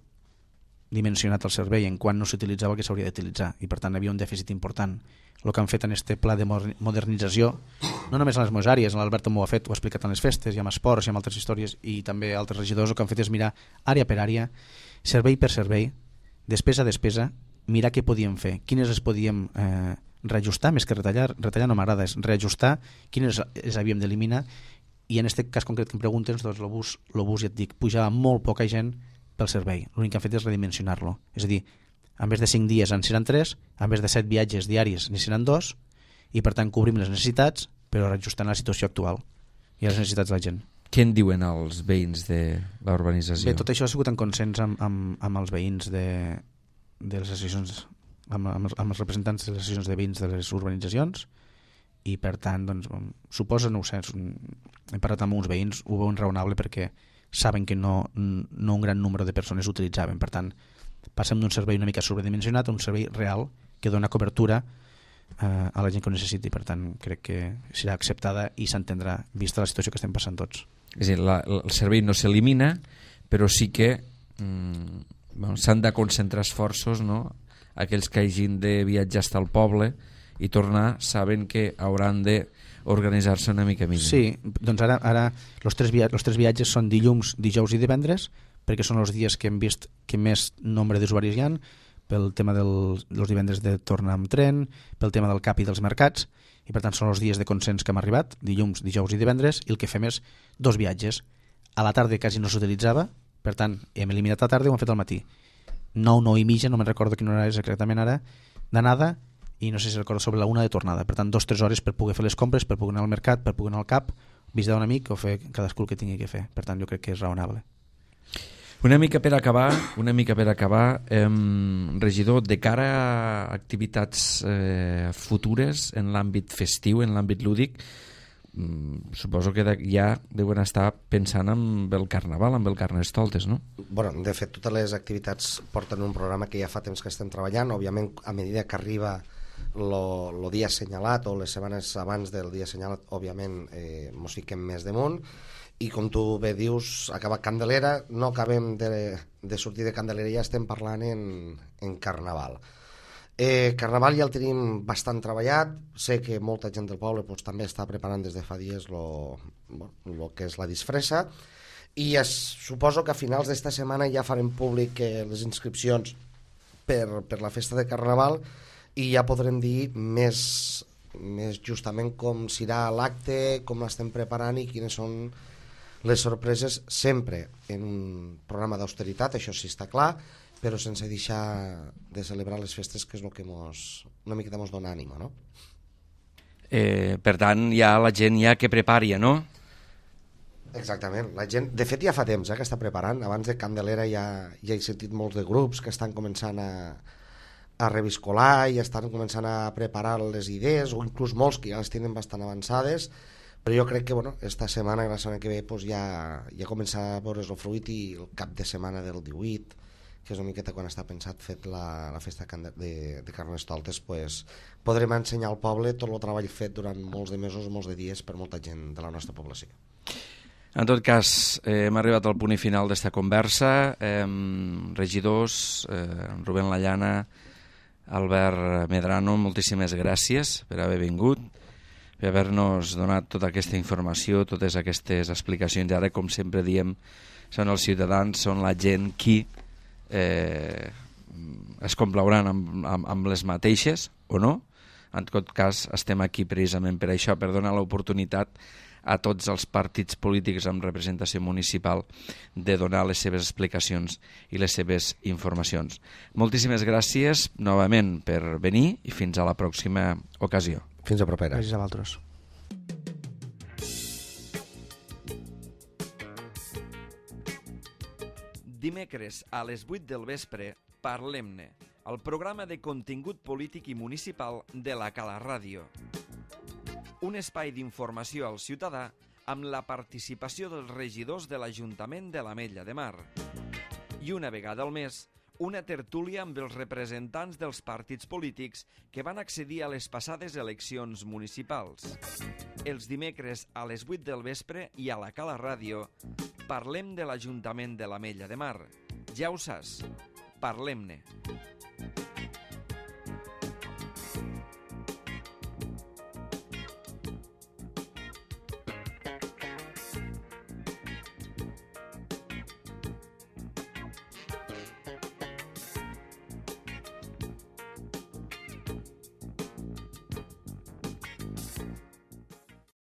dimensionat el servei en quan no s'utilitzava el que s'hauria d'utilitzar i per tant hi havia un dèficit important. El que han fet en este pla de modernització, no només a les meves àrees, l'Albert també ho ha fet, ho ha explicat en les festes, i amb esports i amb altres històries, i també altres regidors, el que han fet és mirar àrea per àrea, servei per servei, despesa a despesa, mirar què podíem fer, quines les podíem eh, reajustar, més que retallar, retallar no m'agrada, és reajustar, quines les havíem d'eliminar, i en aquest cas concret que em preguntes, doncs l'obús, l'obús ja et dic, pujava molt poca gent pel servei, l'únic que han fet és redimensionar-lo, és a dir, en vez de cinc dies en seran tres, en vez de set viatges diaris n'hi seran dos, i per tant cobrim les necessitats, però reajustant la situació actual i les necessitats de la gent. Què en diuen els veïns de la urbanització? Bé, tot això ha sigut en consens amb, amb, amb els veïns de, de les associacions amb, amb, amb els representants de les associacions de veïns de les urbanitzacions i per tant doncs, suposa, no ho sé, hem parlat amb uns veïns, ho veuen raonable perquè saben que no, no un gran nombre de persones utilitzaven, per tant passem d'un servei una mica sobredimensionat a un servei real que dona cobertura eh, a la gent que ho necessiti, per tant crec que serà acceptada i s'entendrà vista la situació que estem passant tots. És a dir, la, el servei no s'elimina, però sí que mm, bueno, s'han de concentrar esforços, no? Aquells que hagin de viatjar fins al poble i tornar saben que hauran de organitzar-se una mica millor. Sí, doncs ara, ara els tres, via els tres viatges són dilluns, dijous i divendres, perquè són els dies que hem vist que més nombre d'usuaris hi ha, pel tema dels del, divendres de tornar amb tren, pel tema del cap i dels mercats, i per tant són els dies de consens que hem arribat, dilluns, dijous i divendres, i el que fem és dos viatges. A la tarda quasi no s'utilitzava, per tant hem eliminat la tarda i ho hem fet al matí. nou, nou i mitja, no me'n recordo quina hora és exactament ara, d'anada, i no sé si recordo sobre la una de tornada. Per tant, dos o tres hores per poder fer les compres, per poder anar al mercat, per poder anar al cap, visitar un amic o fer cadascú el que tingui que fer. Per tant, jo crec que és raonable. Una mica per acabar, una mica per acabar, eh, regidor, de cara a activitats eh, futures en l'àmbit festiu, en l'àmbit lúdic, mm, suposo que ja deuen estar pensant en el Carnaval, en el Carnestoltes, no? Bueno, de fet, totes les activitats porten un programa que ja fa temps que estem treballant. Òbviament, a medida que arriba el dia assenyalat o les setmanes abans del dia assenyalat, òbviament, eh, mos fiquem més damunt. I com tu bé dius, acaba Candelera, no acabem de, de sortir de Candelera, ja estem parlant en, en Carnaval. Eh, Carnaval ja el tenim bastant treballat, sé que molta gent del poble pues, també està preparant des de fa dies lo, bueno, lo que és la disfressa, i es, suposo que a finals d'esta setmana ja farem públic eh, les inscripcions per, per la festa de Carnaval i ja podrem dir més, més justament com serà l'acte, com l'estem preparant i quines són les sorpreses, sempre en un programa d'austeritat, això sí està clar, però sense deixar de celebrar les festes, que és el que mos, una miqueta mos dona ànima, no? Eh, per tant, ja la gent ja que prepari, no? Exactament. La gent, de fet, ja fa temps eh, que està preparant. Abans de Candelera ja, ja he sentit molts de grups que estan començant a, a reviscolar i estan començant a preparar les idees, o inclús molts que ja les tenen bastant avançades, però jo crec que bueno, esta setmana i la setmana que ve pues, ja, ja comença a veure's el fruit, i el cap de setmana del divuit, que és una miqueta quan està pensat fet la, la festa de, de Carnestoltes, pues, podrem ensenyar al poble tot el treball fet durant molts de mesos, molts de dies per molta gent de la nostra població. En tot cas, eh, hem arribat al punt i final d'esta conversa. Eh, regidors, eh, Rubén Lallana, Albert Medrano, moltíssimes gràcies per haver vingut, per haver-nos donat tota aquesta informació, totes aquestes explicacions. Ara, com sempre diem, són els ciutadans, són la gent qui eh, es complauran amb, amb, amb les mateixes, o no? En tot cas, estem aquí precisament per això, per donar l'oportunitat a tots els partits polítics amb representació municipal de donar les seves explicacions i les seves informacions. Moltíssimes gràcies novament per venir i fins a la pròxima ocasió. Fins a propera. Gràcies a vosaltres. Dimecres a les vuit del vespre, Parlem-ne, el programa de contingut polític i municipal de la Cala Ràdio. Un espai d'informació al ciutadà amb la participació dels regidors de l'Ajuntament de l'Ametlla de Mar. I una vegada al mes, una tertúlia amb els representants dels partits polítics que van accedir a les passades eleccions municipals. Els dimecres a les vuit del vespre i a la Cala Ràdio parlem de l'Ajuntament de l'Ametlla de Mar. Ja ho saps, parlem-ne.